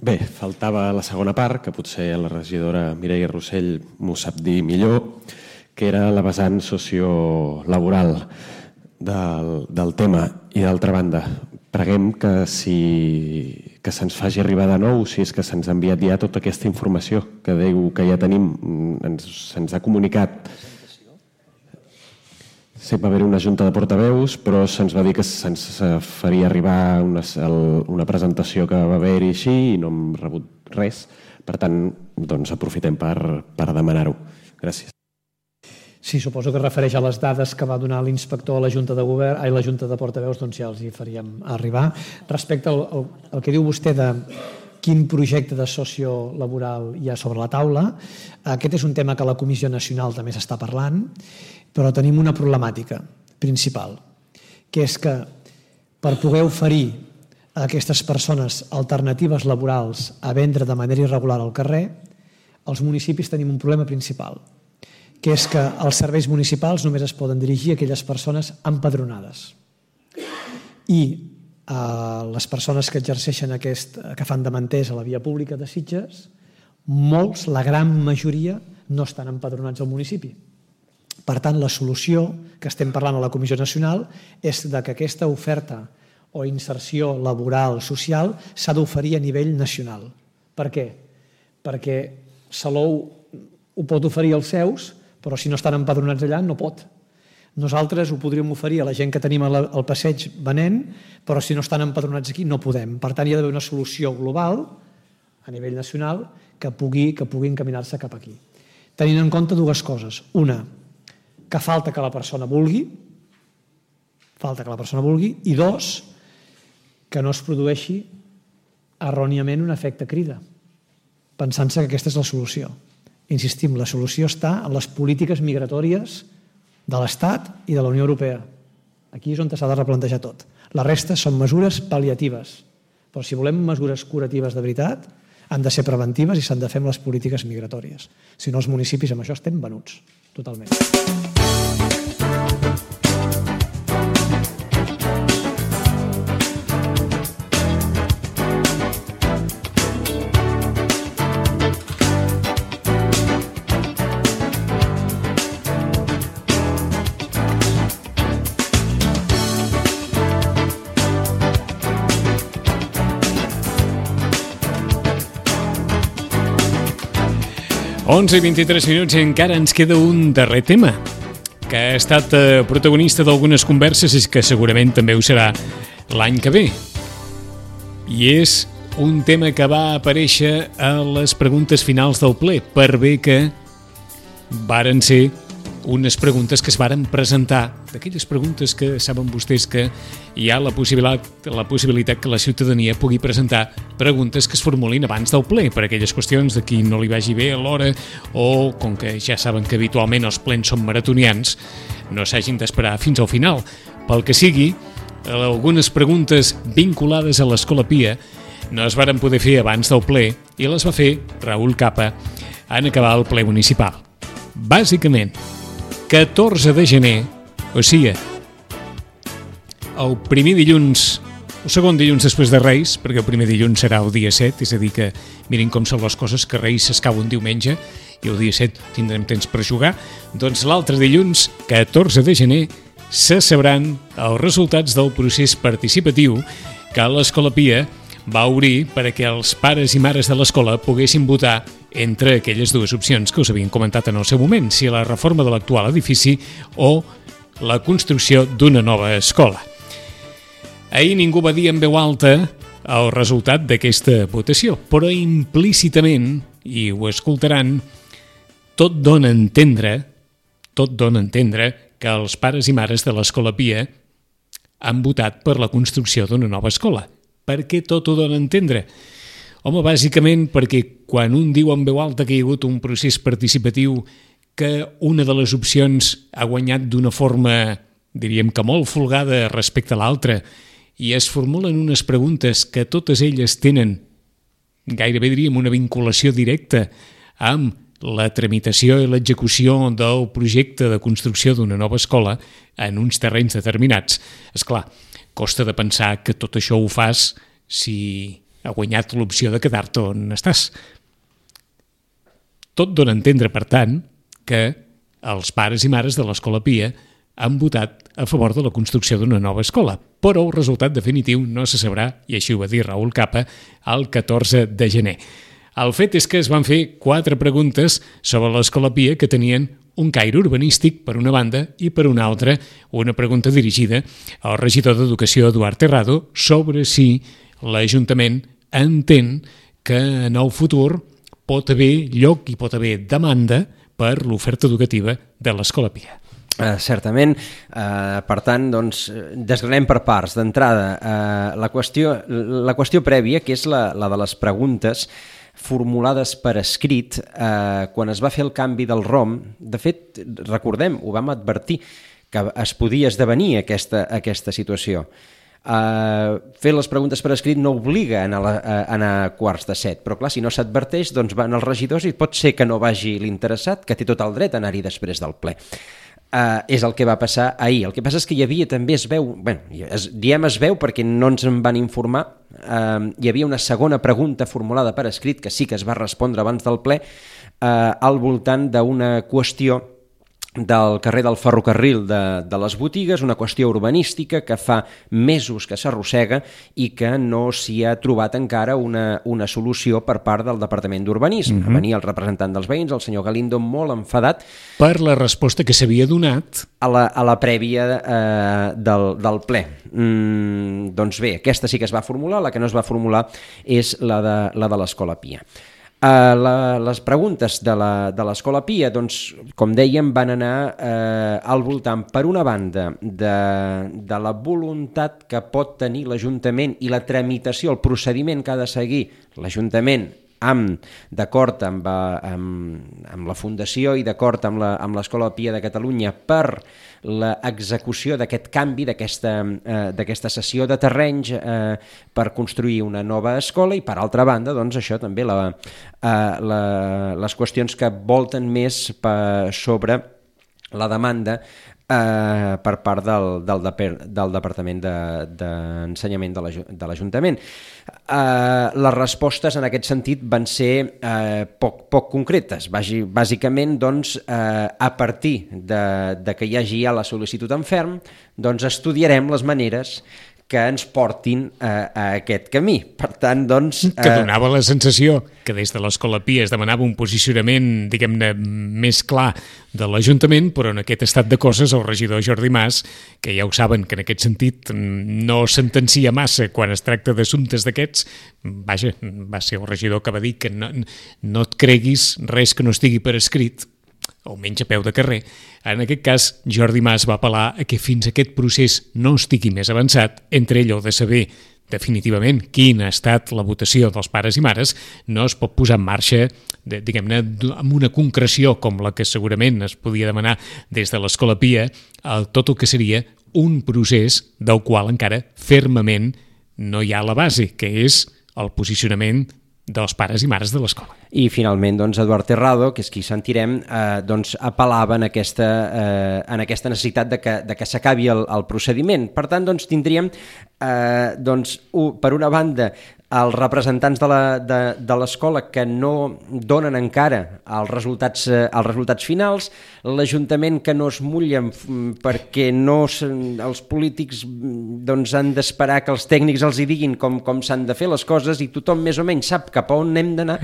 O: Bé, faltava la segona part, que potser la regidora Mireia Rossell m'ho sap dir millor, que era la vessant sociolaboral del, del tema. I d'altra banda, preguem que si que se'ns faci arribar de nou, si és que se'ns ha enviat ja tota aquesta informació que diu que ja tenim, ens, se'ns ha comunicat. Sí, va haver una junta de portaveus, però se'ns va dir que se'ns faria arribar una, una presentació que va haver-hi així i no hem rebut res. Per tant, doncs aprofitem per, per demanar-ho. Gràcies.
E: Sí, suposo que refereix a les dades que va donar l'inspector a la Junta de Govern, a la Junta de Portaveus, doncs ja els hi faríem arribar. Respecte al, al, al que diu vostè de quin projecte de sociolaboral hi ha sobre la taula, aquest és un tema que la Comissió Nacional també s'està parlant, però tenim una problemàtica principal, que és que per poder oferir a aquestes persones alternatives laborals a vendre de manera irregular al carrer, els municipis tenim un problema principal, que és que els serveis municipals només es poden dirigir a aquelles persones empadronades. I eh, les persones que exerceixen aquest, que fan de manters a la via pública de Sitges, molts, la gran majoria, no estan empadronats al municipi. Per tant, la solució que estem parlant a la Comissió Nacional és que aquesta oferta o inserció laboral, social, s'ha d'oferir a nivell nacional. Per què? Perquè Salou ho pot oferir als seus, però si no estan empadronats allà no pot. Nosaltres ho podríem oferir a la gent que tenim al passeig venent, però si no estan empadronats aquí no podem. Per tant, hi ha d'haver una solució global a nivell nacional que pugui, que pugui encaminar-se cap aquí. Tenint en compte dues coses. Una, que falta que la persona vulgui, falta que la persona vulgui, i dos, que no es produeixi erròniament un efecte crida, pensant-se que aquesta és la solució. Insistim, la solució està en les polítiques migratòries de l'Estat i de la Unió Europea. Aquí és on s'ha de replantejar tot. La resta són mesures pal·liatives, però si volem mesures curatives de veritat, han de ser preventives i s'han de fer amb les polítiques migratòries. Si no, els municipis amb això estem venuts, totalment.
B: onze i vint-i-tres minuts i encara ens queda un darrer tema que ha estat protagonista d'algunes converses i que segurament també ho serà l'any que ve. I és un tema que va aparèixer a les preguntes finals del ple, per bé que varen ser unes preguntes que es varen presentar, d'aquelles preguntes que saben vostès que hi ha la possibilitat, la possibilitat que la ciutadania pugui presentar preguntes que es formulin abans del ple, per aquelles qüestions de qui no li vagi bé a l'hora o, com que ja saben que habitualment els plens són maratonians, no s'hagin d'esperar fins al final. Pel que sigui, algunes preguntes vinculades a l'Escola Pia no es varen poder fer abans del ple i les va fer Raül Capa en acabar el ple municipal. Bàsicament, catorze de gener, o sigui, el primer dilluns, el segon dilluns després de Reis, perquè el primer dilluns serà el dia set, és a dir que mirin com són les coses, que Reis s'escau un diumenge i el dia set tindrem temps per jugar, doncs l'altre dilluns, catorze de gener, se sabran els resultats del procés participatiu que l'Escola Pia va obrir perquè els pares i mares de l'escola poguessin votar entre aquelles dues opcions que us havien comentat en el seu moment, si la reforma de l'actual edifici o la construcció d'una nova escola. Ahir ningú va dir en veu alta el resultat d'aquesta votació, però implícitament, i ho escoltaran, tot dona a entendre, tot dona a entendre que els pares i mares de l'Escola Pia han votat per la construcció d'una nova escola. Per què tot ho dona a entendre? Home, bàsicament perquè quan un diu en veu alta que hi ha hagut un procés participatiu que una de les opcions ha guanyat d'una forma, diríem que molt folgada respecte a l'altra, i es formulen unes preguntes que totes elles tenen, gairebé diríem, una vinculació directa amb la tramitació i l'execució del projecte de construcció d'una nova escola en uns terrenys determinats. Esclar, costa de pensar que tot això ho fas si ha guanyat l'opció de quedar-te on estàs. Tot dona a entendre, per tant, que els pares i mares de l'Escola Pia han votat a favor de la construcció d'una nova escola, però el resultat definitiu no se sabrà, i així ho va dir Raül Capa, el catorze de gener. El fet és que es van fer quatre preguntes sobre l'Escola Pia que tenien un caire urbanístic, per una banda, i per una altra, una pregunta dirigida al regidor d'Educació, Eduard Terrado, sobre si l'Ajuntament entén que en el futur pot haver lloc i pot haver demanda per l'oferta educativa de l'Escola Pia.
C: Uh, certament, uh, per tant, doncs, desgranem per parts. D'entrada, uh, la, qüestió, la qüestió prèvia, que és la, la de les preguntes formulades per escrit, eh, quan es va fer el canvi del R O M, de fet, recordem, ho vam advertir, que es podia esdevenir aquesta, aquesta situació. Uh, fer les preguntes per escrit no obliga a anar, a anar a quarts de set, però clar, si no s'adverteix, doncs van els regidors i pot ser que no vagi l'interessat, que té tot el dret a anar-hi després del ple. Uh, és el que va passar ahir. El que passa és que hi havia també, es veu, bueno, es, diem es veu perquè no ens en van informar, uh, hi havia una segona pregunta formulada per escrit que sí que es va respondre abans del ple, uh, al voltant d'una qüestió del carrer del ferrocarril de, de les botigues, una qüestió urbanística que fa mesos que s'arrossega i que no s'hi ha trobat encara una, una solució per part del Departament d'Urbanisme. Mm-hmm. Venia el representant dels veïns, el senyor Galindo, molt enfadat
B: per la resposta que s'havia donat
C: a la, a la prèvia eh, del, del ple. Mm, doncs bé, aquesta sí que es va formular, la que no es va formular és la de, la de l'Escola Pia. Uh, la, les preguntes de l'Escola Pia, doncs, com dèiem, van anar uh, al voltant, per una banda, de, de la voluntat que pot tenir l'Ajuntament i la tramitació, el procediment que ha de seguir l'Ajuntament amb, d'acord amb, amb, amb la Fundació i d'acord amb l'Escola Pia de Catalunya per l'execució d'aquest canvi, d'aquesta eh, d'aquesta cessió de terrenys eh, per construir una nova escola, i per altra banda, doncs, això també, la, eh, la, les qüestions que volten més per, sobre la demanda eh, per part del, del, del Departament d'Ensenyament de, de l'Ajuntament. Eh, les respostes en aquest sentit van ser eh, poc, poc concretes. Bàsicament, doncs, eh, a partir de, de que hi hagi ja la sol·licitud en ferm, doncs estudiarem les maneres que ens portin a, a aquest camí. Per tant, doncs... Eh...
B: Que donava la sensació que des de l'Escola Pia es demanava un posicionament, diguem-ne, més clar de l'Ajuntament, però en aquest estat de coses el regidor Jordi Mas, que ja ho saben que en aquest sentit no sentencia massa quan es tracta d'assumptes d'aquests, vaja, va ser el regidor que va dir que no, no et creguis res que no estigui per escrit, o menys a peu de carrer. En aquest cas, Jordi Mas va apel·lar a que fins aquest procés no estigui més avançat, entre allò de saber definitivament quina ha estat la votació dels pares i mares, no es pot posar en marxa, de, diguem-ne, amb una concreció com la que segurament es podia demanar des de l'Escola Pia, el, tot el que seria un procés del qual encara fermament no hi ha la base, que és el posicionament dels pares i mares de l'escola.
C: I finalment, doncs, Eduard Terrado, que és qui sentirem, eh, doncs, apel·lava en aquesta, eh, en aquesta necessitat de que, de que s'acabi el, el procediment. Per tant, doncs, tindríem, eh, doncs, un, per una banda, els representants de l'escola que no donen encara els resultats, eh, els resultats finals, l'Ajuntament que no es mullen perquè no, els polítics doncs, han d'esperar que els tècnics els hi diguin com, com s'han de fer les coses, i tothom més o menys sap cap a on hem d'anar,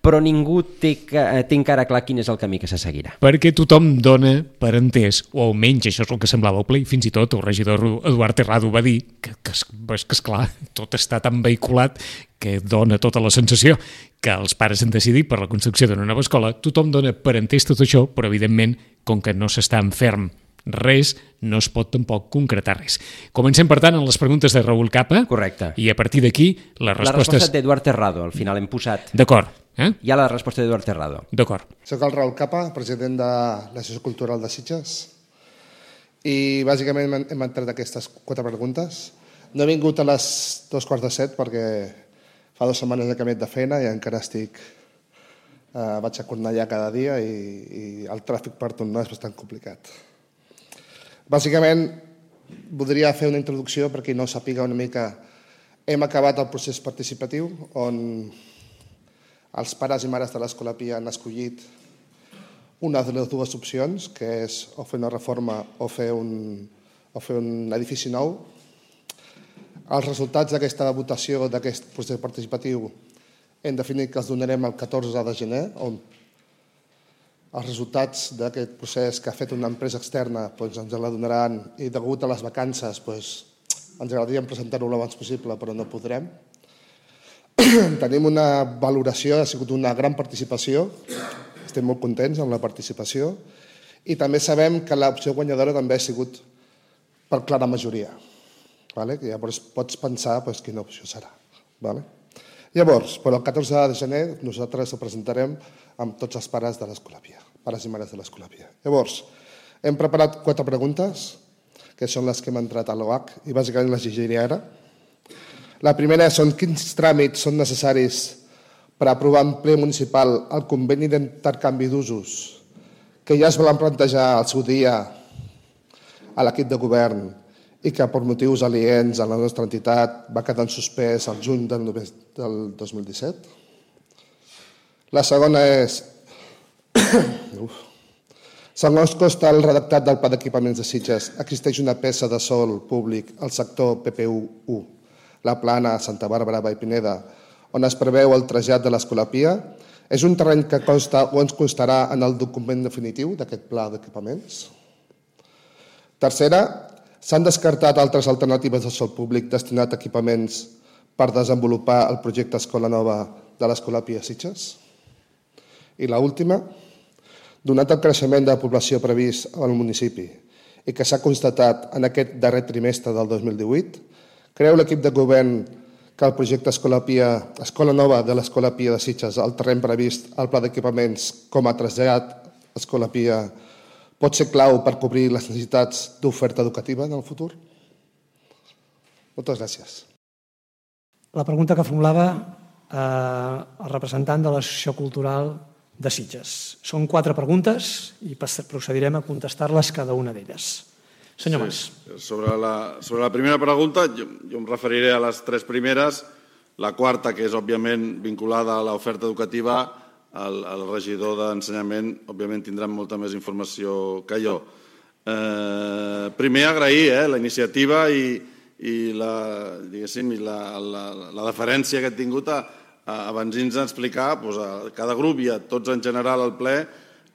C: però ningú té, té encara clar quin és el camí que se seguirà.
B: Perquè tothom dona per entès, o almenys això és el que semblava el ple, i fins i tot el regidor Eduard Terrado va dir que, que, que, que esclar, tot està tan vehiculat que dona tota la sensació que els pares han decidit per la construcció d'una nova escola. Tothom dona per entès tot això, però evidentment, com que no s'està en ferm res, no es pot tampoc concretar res. Comencem, per tant, en les preguntes de Raül Capa.
C: Correcte.
B: I a partir d'aquí, les respostes...
C: La resposta d'Eduard Terrado, al final hem posat.
B: D'acord. Eh?
C: Hi ha la resposta d'Eduard Terrado.
B: D'acord.
P: Soc el Raül Capa, president de l'Associació Cultural de Sitges, i bàsicament hem entrat aquestes quatre preguntes. No he vingut a les dos quarts de set perquè fa dues setmanes que m'he de feina i encara estic... Eh, vaig a Cornellà cada dia i, i el tràfic per tornar és bastant complicat. Bàsicament, voldria fer una introducció per qui no sàpiga una mica. Hem acabat el procés participatiu on els pares i mares de l'Escola Pia han escollit una de les dues opcions, que és o fer una reforma o fer un, o fer un edifici nou. Els resultats d'aquesta votació, d'aquest procés participatiu, hem definit que els donarem el catorze de gener, on els resultats d'aquest procés que ha fet una empresa externa doncs ens la donaran, i degut a les vacances doncs, ens agradaria presentar-ho l'abans possible, però no podrem. Tenim una valoració, ha sigut una gran participació, estem molt contents amb la participació, i també sabem que l'opció guanyadora també ha sigut per clara majoria. Vale? Que llavors pots pensar pues, quina opció serà. Vale? Llavors, per el catorze de gener nosaltres ho presentarem amb tots els pares de l'Escola Pia, pares i mares de l'Escola Pia. Llavors, hem preparat quatre preguntes, que són les que hem entrat a l'O H, i bàsicament les llegiré ara. La primera són quins tràmits són necessaris per aprovar en ple municipal el conveni d'intercanvi d'usos que ja es van plantejar al seu dia a l'equip de govern i que per motius aliens a la nostra entitat va quedar en suspès al juny del dos mil disset. La segona és... Uf. Segons consta el redactat del Pla d'Equipaments de Sitges, existeix una peça de sòl públic al sector P P U u, la Plana, Santa Bàrbara, Vallpineda, on es preveu el trasllat de l'Escolapia. És un terreny que consta o ens constarà en el document definitiu d'aquest Pla d'Equipaments. Tercera, s'han descartat altres alternatives de sòl públic destinat a equipaments per desenvolupar el projecte Escola Nova de l'Escolapia Sitges. I l'última, donat el creixement de la població previst al municipi i que s'ha constatat en aquest darrer trimestre del dos mil divuit, creu l'equip de govern que el projecte Escola Nova de l'Escolapia de Sitges, el terreny previst al Pla d'Equipaments com a trasllat Escolapia, pot ser clau per cobrir les necessitats d'oferta educativa en el futur? Moltes gràcies.
E: La pregunta que formulava eh, el representant de l'Associació Cultural de Sitges. Són quatre preguntes i procedirem a contestar-les cada una d'elles. Senyor Mas.
J: Sí, sobre, la, sobre la primera pregunta, jo, jo em referiré a les tres primeres. La quarta, que és òbviament vinculada a l'oferta educativa, el, el regidor d'Ensenyament òbviament tindrà molta més informació que jo. Eh, primer, agrair eh, la iniciativa i, i, la, diguéssim, i la, la, la deferència que he tingut a abans ens explicar doncs, a cada grup i a tots en general al ple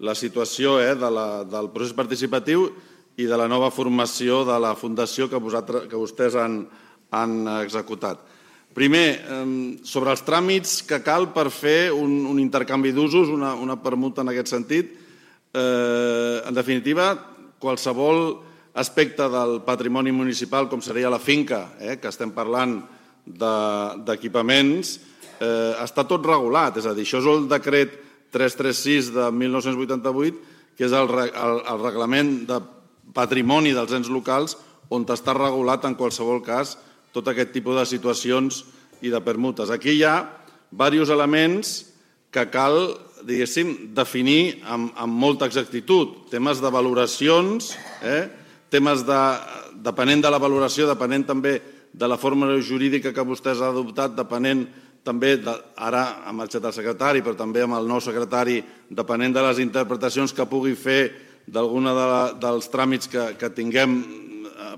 J: la situació eh, de la, del procés participatiu i de la nova formació de la fundació que, vosaltres, que vostès han, han executat. Primer, eh, sobre els tràmits que cal per fer un, un intercanvi d'usos, una, una permuta en aquest sentit, eh, en definitiva, qualsevol aspecte del patrimoni municipal, com seria la finca, eh, que estem parlant d'equipaments, de, Eh, està tot regulat, és a dir, això és el decret tres cents trenta sis de mil nou-cents vuitanta-vuit, que és el, el, el reglament de patrimoni dels ens locals on està regulat en qualsevol cas tot aquest tipus de situacions i de permutes. Aquí hi ha diversos elements que cal, diguéssim, definir amb, amb molta exactitud. Temes de valoracions, eh? temes de, depenent de la valoració, depenent també de la forma jurídica que vostès han adoptat, depenent també, de, ara ha marxat el secretari, però també amb el nou secretari, depenent de les interpretacions que pugui fer d'alguna de dels tràmits que, que tinguem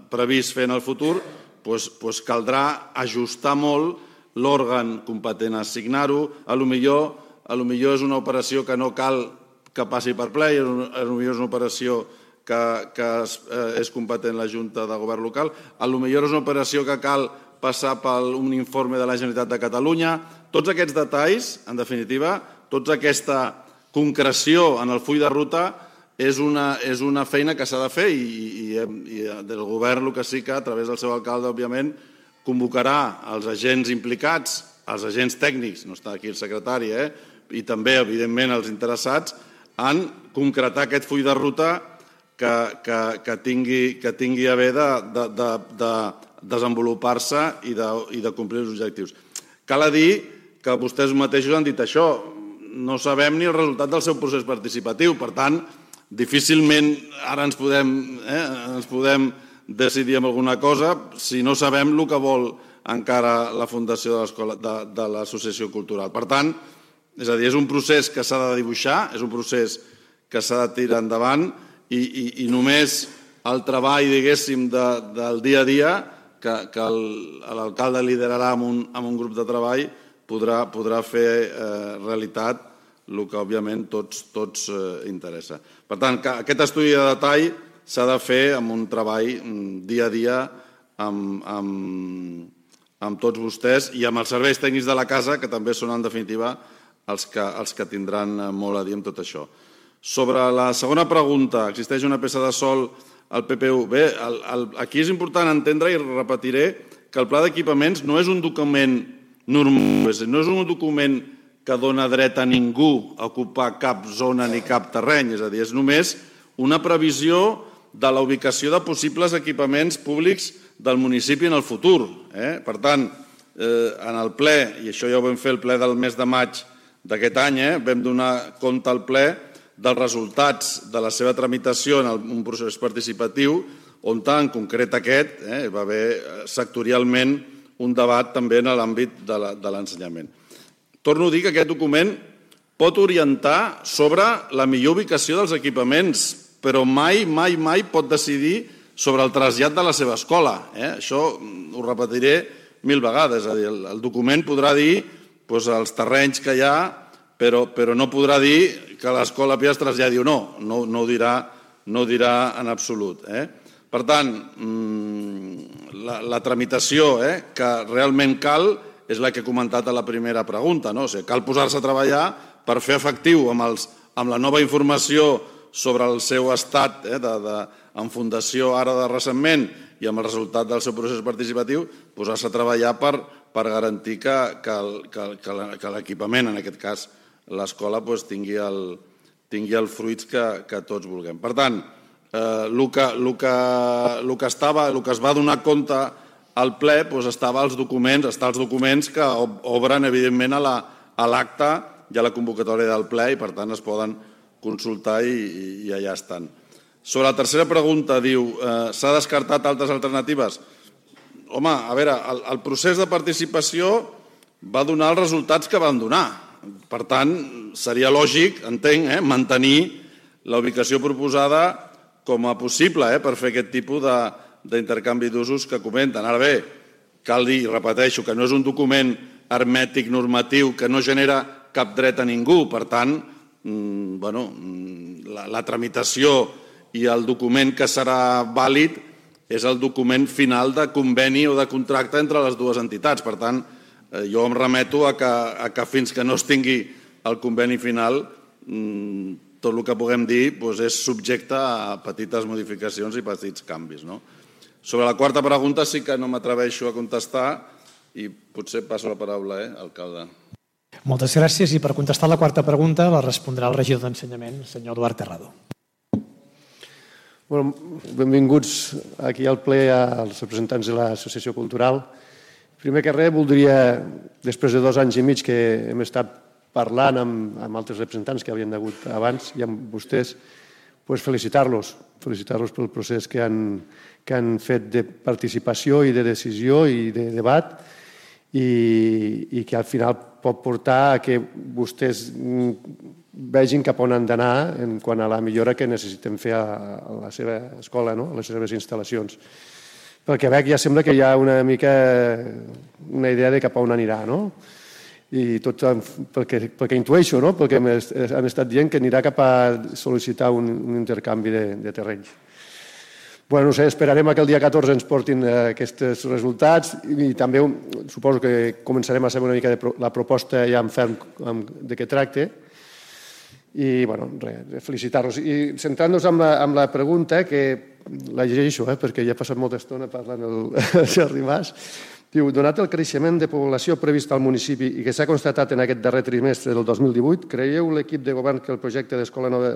J: previst fer en el futur, doncs, doncs caldrà ajustar molt l'òrgan competent a assignar-ho. A lo millor, a lo millor és una operació que no cal que passi per ple, a lo millor és una operació que, que és, és competent la Junta de Govern local, a lo millor és una operació que cal passar per un informe de la Generalitat de Catalunya. Tots aquests detalls, en definitiva, tota aquesta concreció en el full de ruta és una, és una feina que s'ha de fer i, i, i del govern el que sí que, a través del seu alcalde, òbviament, convocarà els agents implicats, els agents tècnics, no està aquí el secretari, eh? i també, evidentment, els interessats, en concretar aquest full de ruta que, que, que, tingui, que tingui a bé de, de, de, de desenvolupar-se i, de, i de complir els objectius. Cal dir que vostès mateixos han dit això, no sabem ni el resultat del seu procés participatiu, per tant, difícilment ara ens podem, eh, ens podem decidir en alguna cosa si no sabem el que vol encara la fundació de, de, de l'Associació Cultural. Per tant, és a dir, és un procés que s'ha de dibuixar, és un procés que s'ha de tirar endavant i, i, i només el treball, diguéssim, de, del dia a dia que, que l'alcalde liderarà amb un, amb un grup de treball podrà, podrà fer eh, realitat el que, òbviament, tots, tots eh, interessa. Per tant, que aquest estudi de detall s'ha de fer amb un treball dia a dia amb, amb, amb tots vostès i amb els serveis tècnics de la casa, que també són, en definitiva, els que, els que tindran molt a dir amb tot això. Sobre la segona pregunta, existeix una peça de sòl al P P U? Bé, el, el, aquí és important entendre, i repetiré, que el pla d'equipaments no és un document normal, no és un document que dona dret a ningú a ocupar cap zona ni cap terreny, és a dir, és només una previsió de la ubicació de possibles equipaments públics del municipi en el futur. Eh? Per tant, eh, en el ple, i això ja ho vam fer el ple del mes de maig d'aquest any, eh, vam donar compte al ple dels resultats de la seva tramitació en un procés participatiu, on en concret aquest eh, va haver sectorialment un debat també en l'àmbit de l'ensenyament. Torno a dir que aquest document pot orientar sobre la millor ubicació dels equipaments però mai, mai, mai pot decidir sobre el trasllat de la seva escola. Això ho repetiré mil vegades. És a dir, el document podrà dir els terrenys que hi ha, però no podrà dir que l'escola Pia es traslladi o no. No ho dirà en absolut. Per tant, la tramitació que realment cal és la que he comentat a la primera pregunta. Cal posar-se a treballar per fer efectiu amb la nova informació sobre el seu estat en fundació ara de recentment i amb el resultat del seu procés participatiu, posar-se a treballar per garantir que l'equipament, en aquest cas l'escola, tingui els fruits que tots vulguem. Per tant, el que es va donar compte al ple estava als documents, està als documents que obren, evidentment, a l'acte i a la convocatòria del ple i, per tant, es poden consultar i allà estan. Sobre la tercera pregunta, diu, s'ha descartat altres alternatives? Home, a veure, el procés de participació va donar els resultats que van donar. Per tant, seria lògic, entenc, mantenir la ubicació proposada com a possible per fer aquest tipus d'intercanvi d'usos que comenten. Ara bé, cal dir, i repeteixo, que no és un document hermètic normatiu que no genera cap dret a ningú. Per tant, la tramitació i el document que serà vàlid és el document final de conveni o de contracte entre les dues entitats. Per tant, jo em remeto a que fins que no es tingui el conveni final, tot el que puguem dir és subjecte a petites modificacions i petits canvis. Sobre la quarta pregunta sí que no m'atreveixo a contestar i potser passo la paraula, alcalde.
E: Moltes gràcies i per contestar la quarta pregunta la respondrà el regidor d'Ensenyament, el senyor Eduard Terrado.
Q: Benvinguts aquí al ple als representants de l'Associació Cultural. Primer que res, voldria, després de dos anys i mig que hem estat parlant amb altres representants que havien hagut abans i amb vostès, felicitar-los, felicitar-los pel procés que han fet de participació i de decisió i de debat i que al final pot portar a que vostès vegin cap on han d'anar en quant a la millora que necessitem fer a la seva escola, a les seves instal·lacions. Pel que veig ja sembla que hi ha una mica una idea de cap on anirà, no? I tot pel que intueixo, no? Perquè han estat dient que anirà cap a sol·licitar un intercanvi de terrenys. Bueno, no sé, esperarem que el dia catorze ens portin aquests resultats i també suposo que començarem a saber una mica la proposta ja en ferm de què tracta. I, bueno, res, felicitar-los. I centrant-nos en la pregunta, que la llegeixo, perquè ja ha passat molta estona parlant el Sergi Mas, diu, donat el creixement de població previst al municipi i que s'ha constatat en aquest darrer trimestre del dos mil divuit, creieu l'equip de govern que el projecte d'escola nova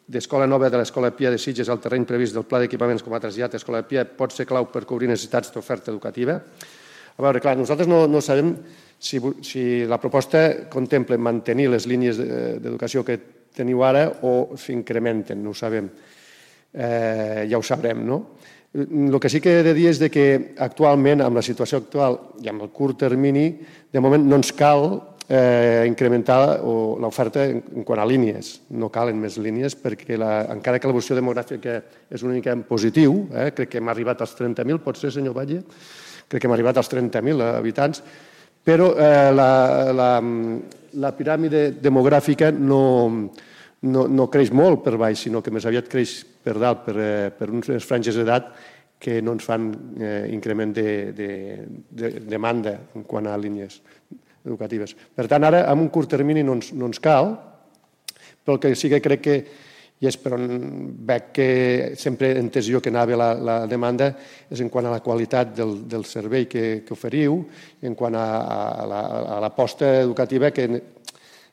Q: d'Escola Nova de l'Escola Pia de Sitges al terreny previst del Pla d'Equipaments com a trasllat a Escola Pia pot ser clau per cobrir necessitats d'oferta educativa? A veure, clar, nosaltres no sabem si la proposta contempla mantenir les línies d'educació que teniu ara o s'incrementen, no ho sabem. Ja ho sabrem, no? El que sí que he de dir és que actualment, amb la situació actual i amb el curt termini, de moment no ens cal incrementar l'oferta en quant a línies. No calen més línies perquè encara que l'evolució demogràfica és una mica en positiu, crec que hem arribat als trenta mil, pot ser, senyor Batlle? Crec que hem arribat als trenta mil habitants, però la piràmide demogràfica no creix molt per baix, sinó que més aviat creix per dalt, per unes franges d'edat que no ens fan increment de demanda en quant a línies educatives. Per tant, ara, en un curt termini no ens cal, però el que sí que crec que, i és per on veig que sempre he entès jo que anava la demanda, és en quant a la qualitat del servei que oferiu, en quant a l'aposta educativa que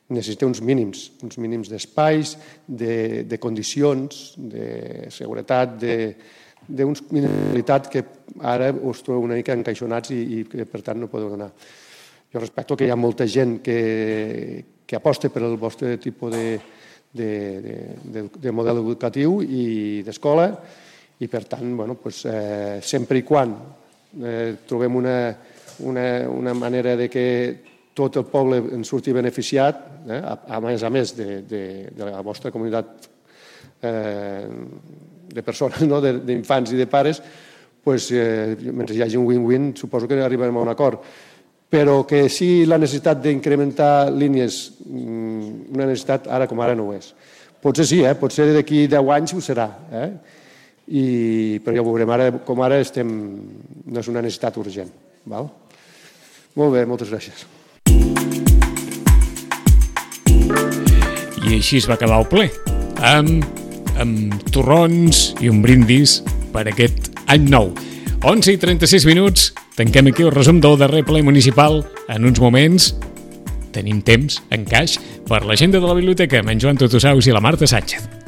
Q: necessita uns mínims, uns mínims d'espais, de condicions, de seguretat, d'uns mínims de qualitat que ara us trobo una mica encaixonats i que, per tant, no podeu donar. Jo respecto que hi ha molta gent que aposta per el vostre tipus de model educatiu i d'escola i, per tant, sempre i quan trobem una manera de que tot el poble en surti beneficiat, a més a més de la vostra comunitat eh, de persones, no? d'infants i de pares, pues, eh, mentre hi hagi un win-win suposo que arribarem a un acord. Però que sí la necessitat d'incrementar línies, una necessitat ara com ara no ho és. Potser sí, eh? potser d'aquí deu anys ho serà, eh? I, però ja ho veurem, ara, com ara estem, no és una necessitat urgent. Val? Molt bé, moltes gràcies.
B: I així es va acabar el ple, amb, amb torrons i un brindis per aquest any nou. onze i trenta-sis minuts, tanquem aquí el resum del darrer ple municipal. En uns moments tenim temps, en caix, per l'agenda de la biblioteca amb en Joan Tutusaus i la Marta Sánchez.